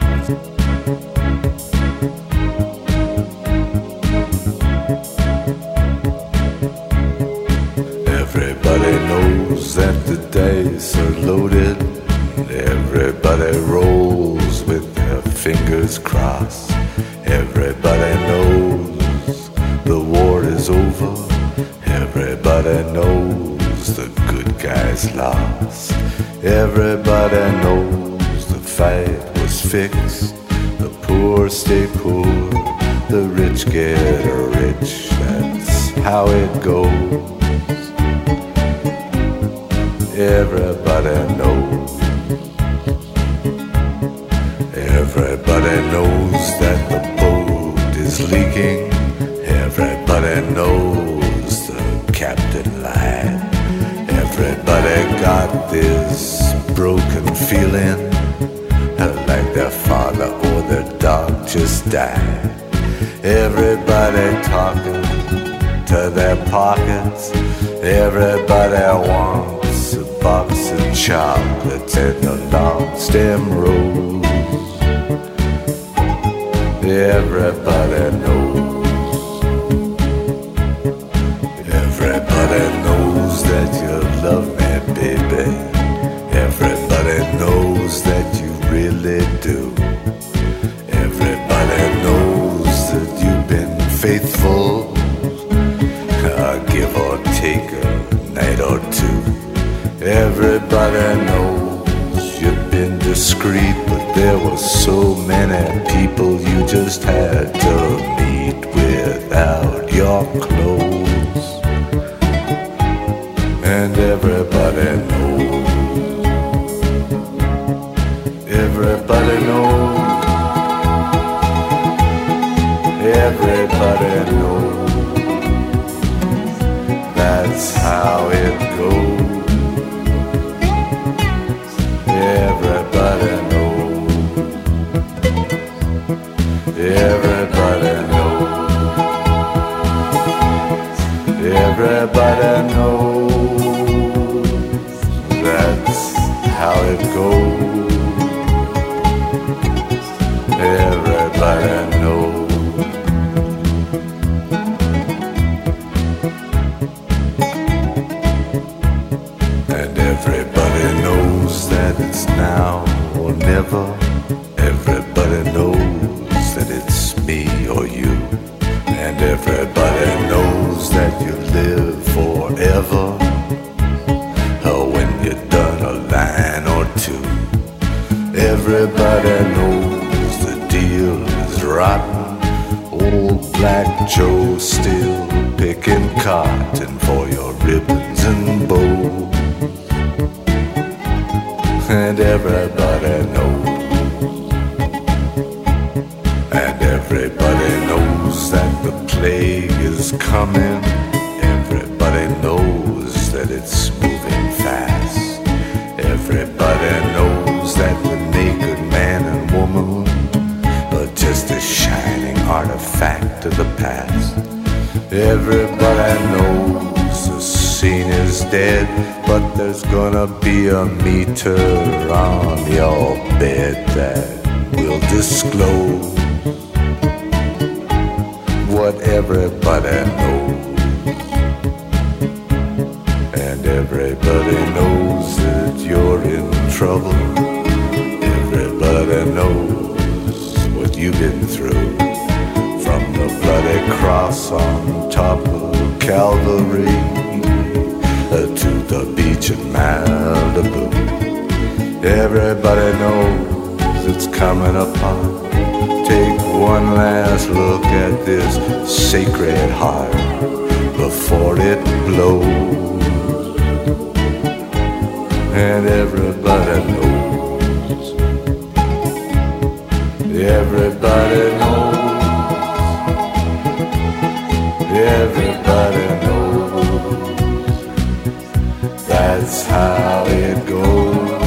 Everybody knows that the dice are loaded. Everybody rolls with their fingers crossed. Everybody knows the war is over. Everybody knows the good guys lost. Everybody knows the fight was fixed. The poor stay poor, the rich get rich. That's how it goes. Everybody knows. Everybody knows that the boat is leaking. Everybody knows the captain lied. Everybody got this broken feeling, like their father or their dog just died. Everybody talking to their pockets. Everybody wants a box of chocolates and a long stem rose. Everybody knows. Everybody knows that you love me, baby. Everybody knows that you really do. Everybody knows that you've been faithful, uh, give or take a night or two. Everybody knows you've been discreet, but there were so many people you just had to meet without your clothes. And everybody knows. Everybody knows. Everybody knows. That's how it goes. Everybody knows. Everybody knows. Everybody knows. That's how it goes. Everybody knows. And everybody knows that it's now or never. Everybody knows that it's me or you. And everybody knows that you live forever, or when you're done a line or two. Everybody knows the deal is rotten. Old Black Joe still picking cotton for your ribbons and bows. And everybody knows. And everybody knows that the plague is coming. Everybody knows that it's moving fast. Everybody knows that the naked man and woman are just a shining artifact of the past. Everybody knows the scene is dead, but there's gonna be a meter on your bed that will disclose what everybody knows. And everybody knows you've been through. From the bloody cross on top of Calvary uh, to the beach in Malibu. Everybody knows it's coming upon. Take one last look at this sacred heart before it blows. And everybody knows. Everybody knows. Everybody knows. That's how it goes.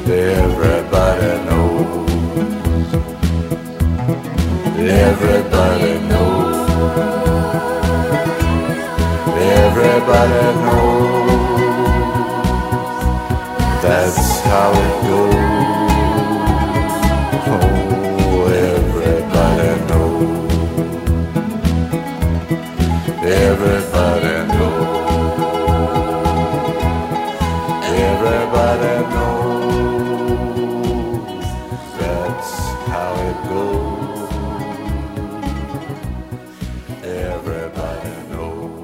Everybody knows. Everybody knows. Everybody knows. That's how it goes. Oh, everybody knows. Everybody knows. Everybody knows. That's how it goes. Everybody knows.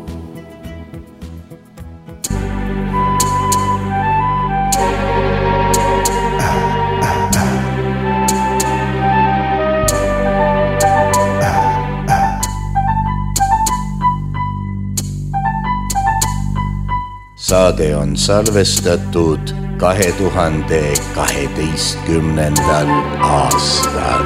Saade on salvestatud kahe tuhande kaheteistkümnendal aastal.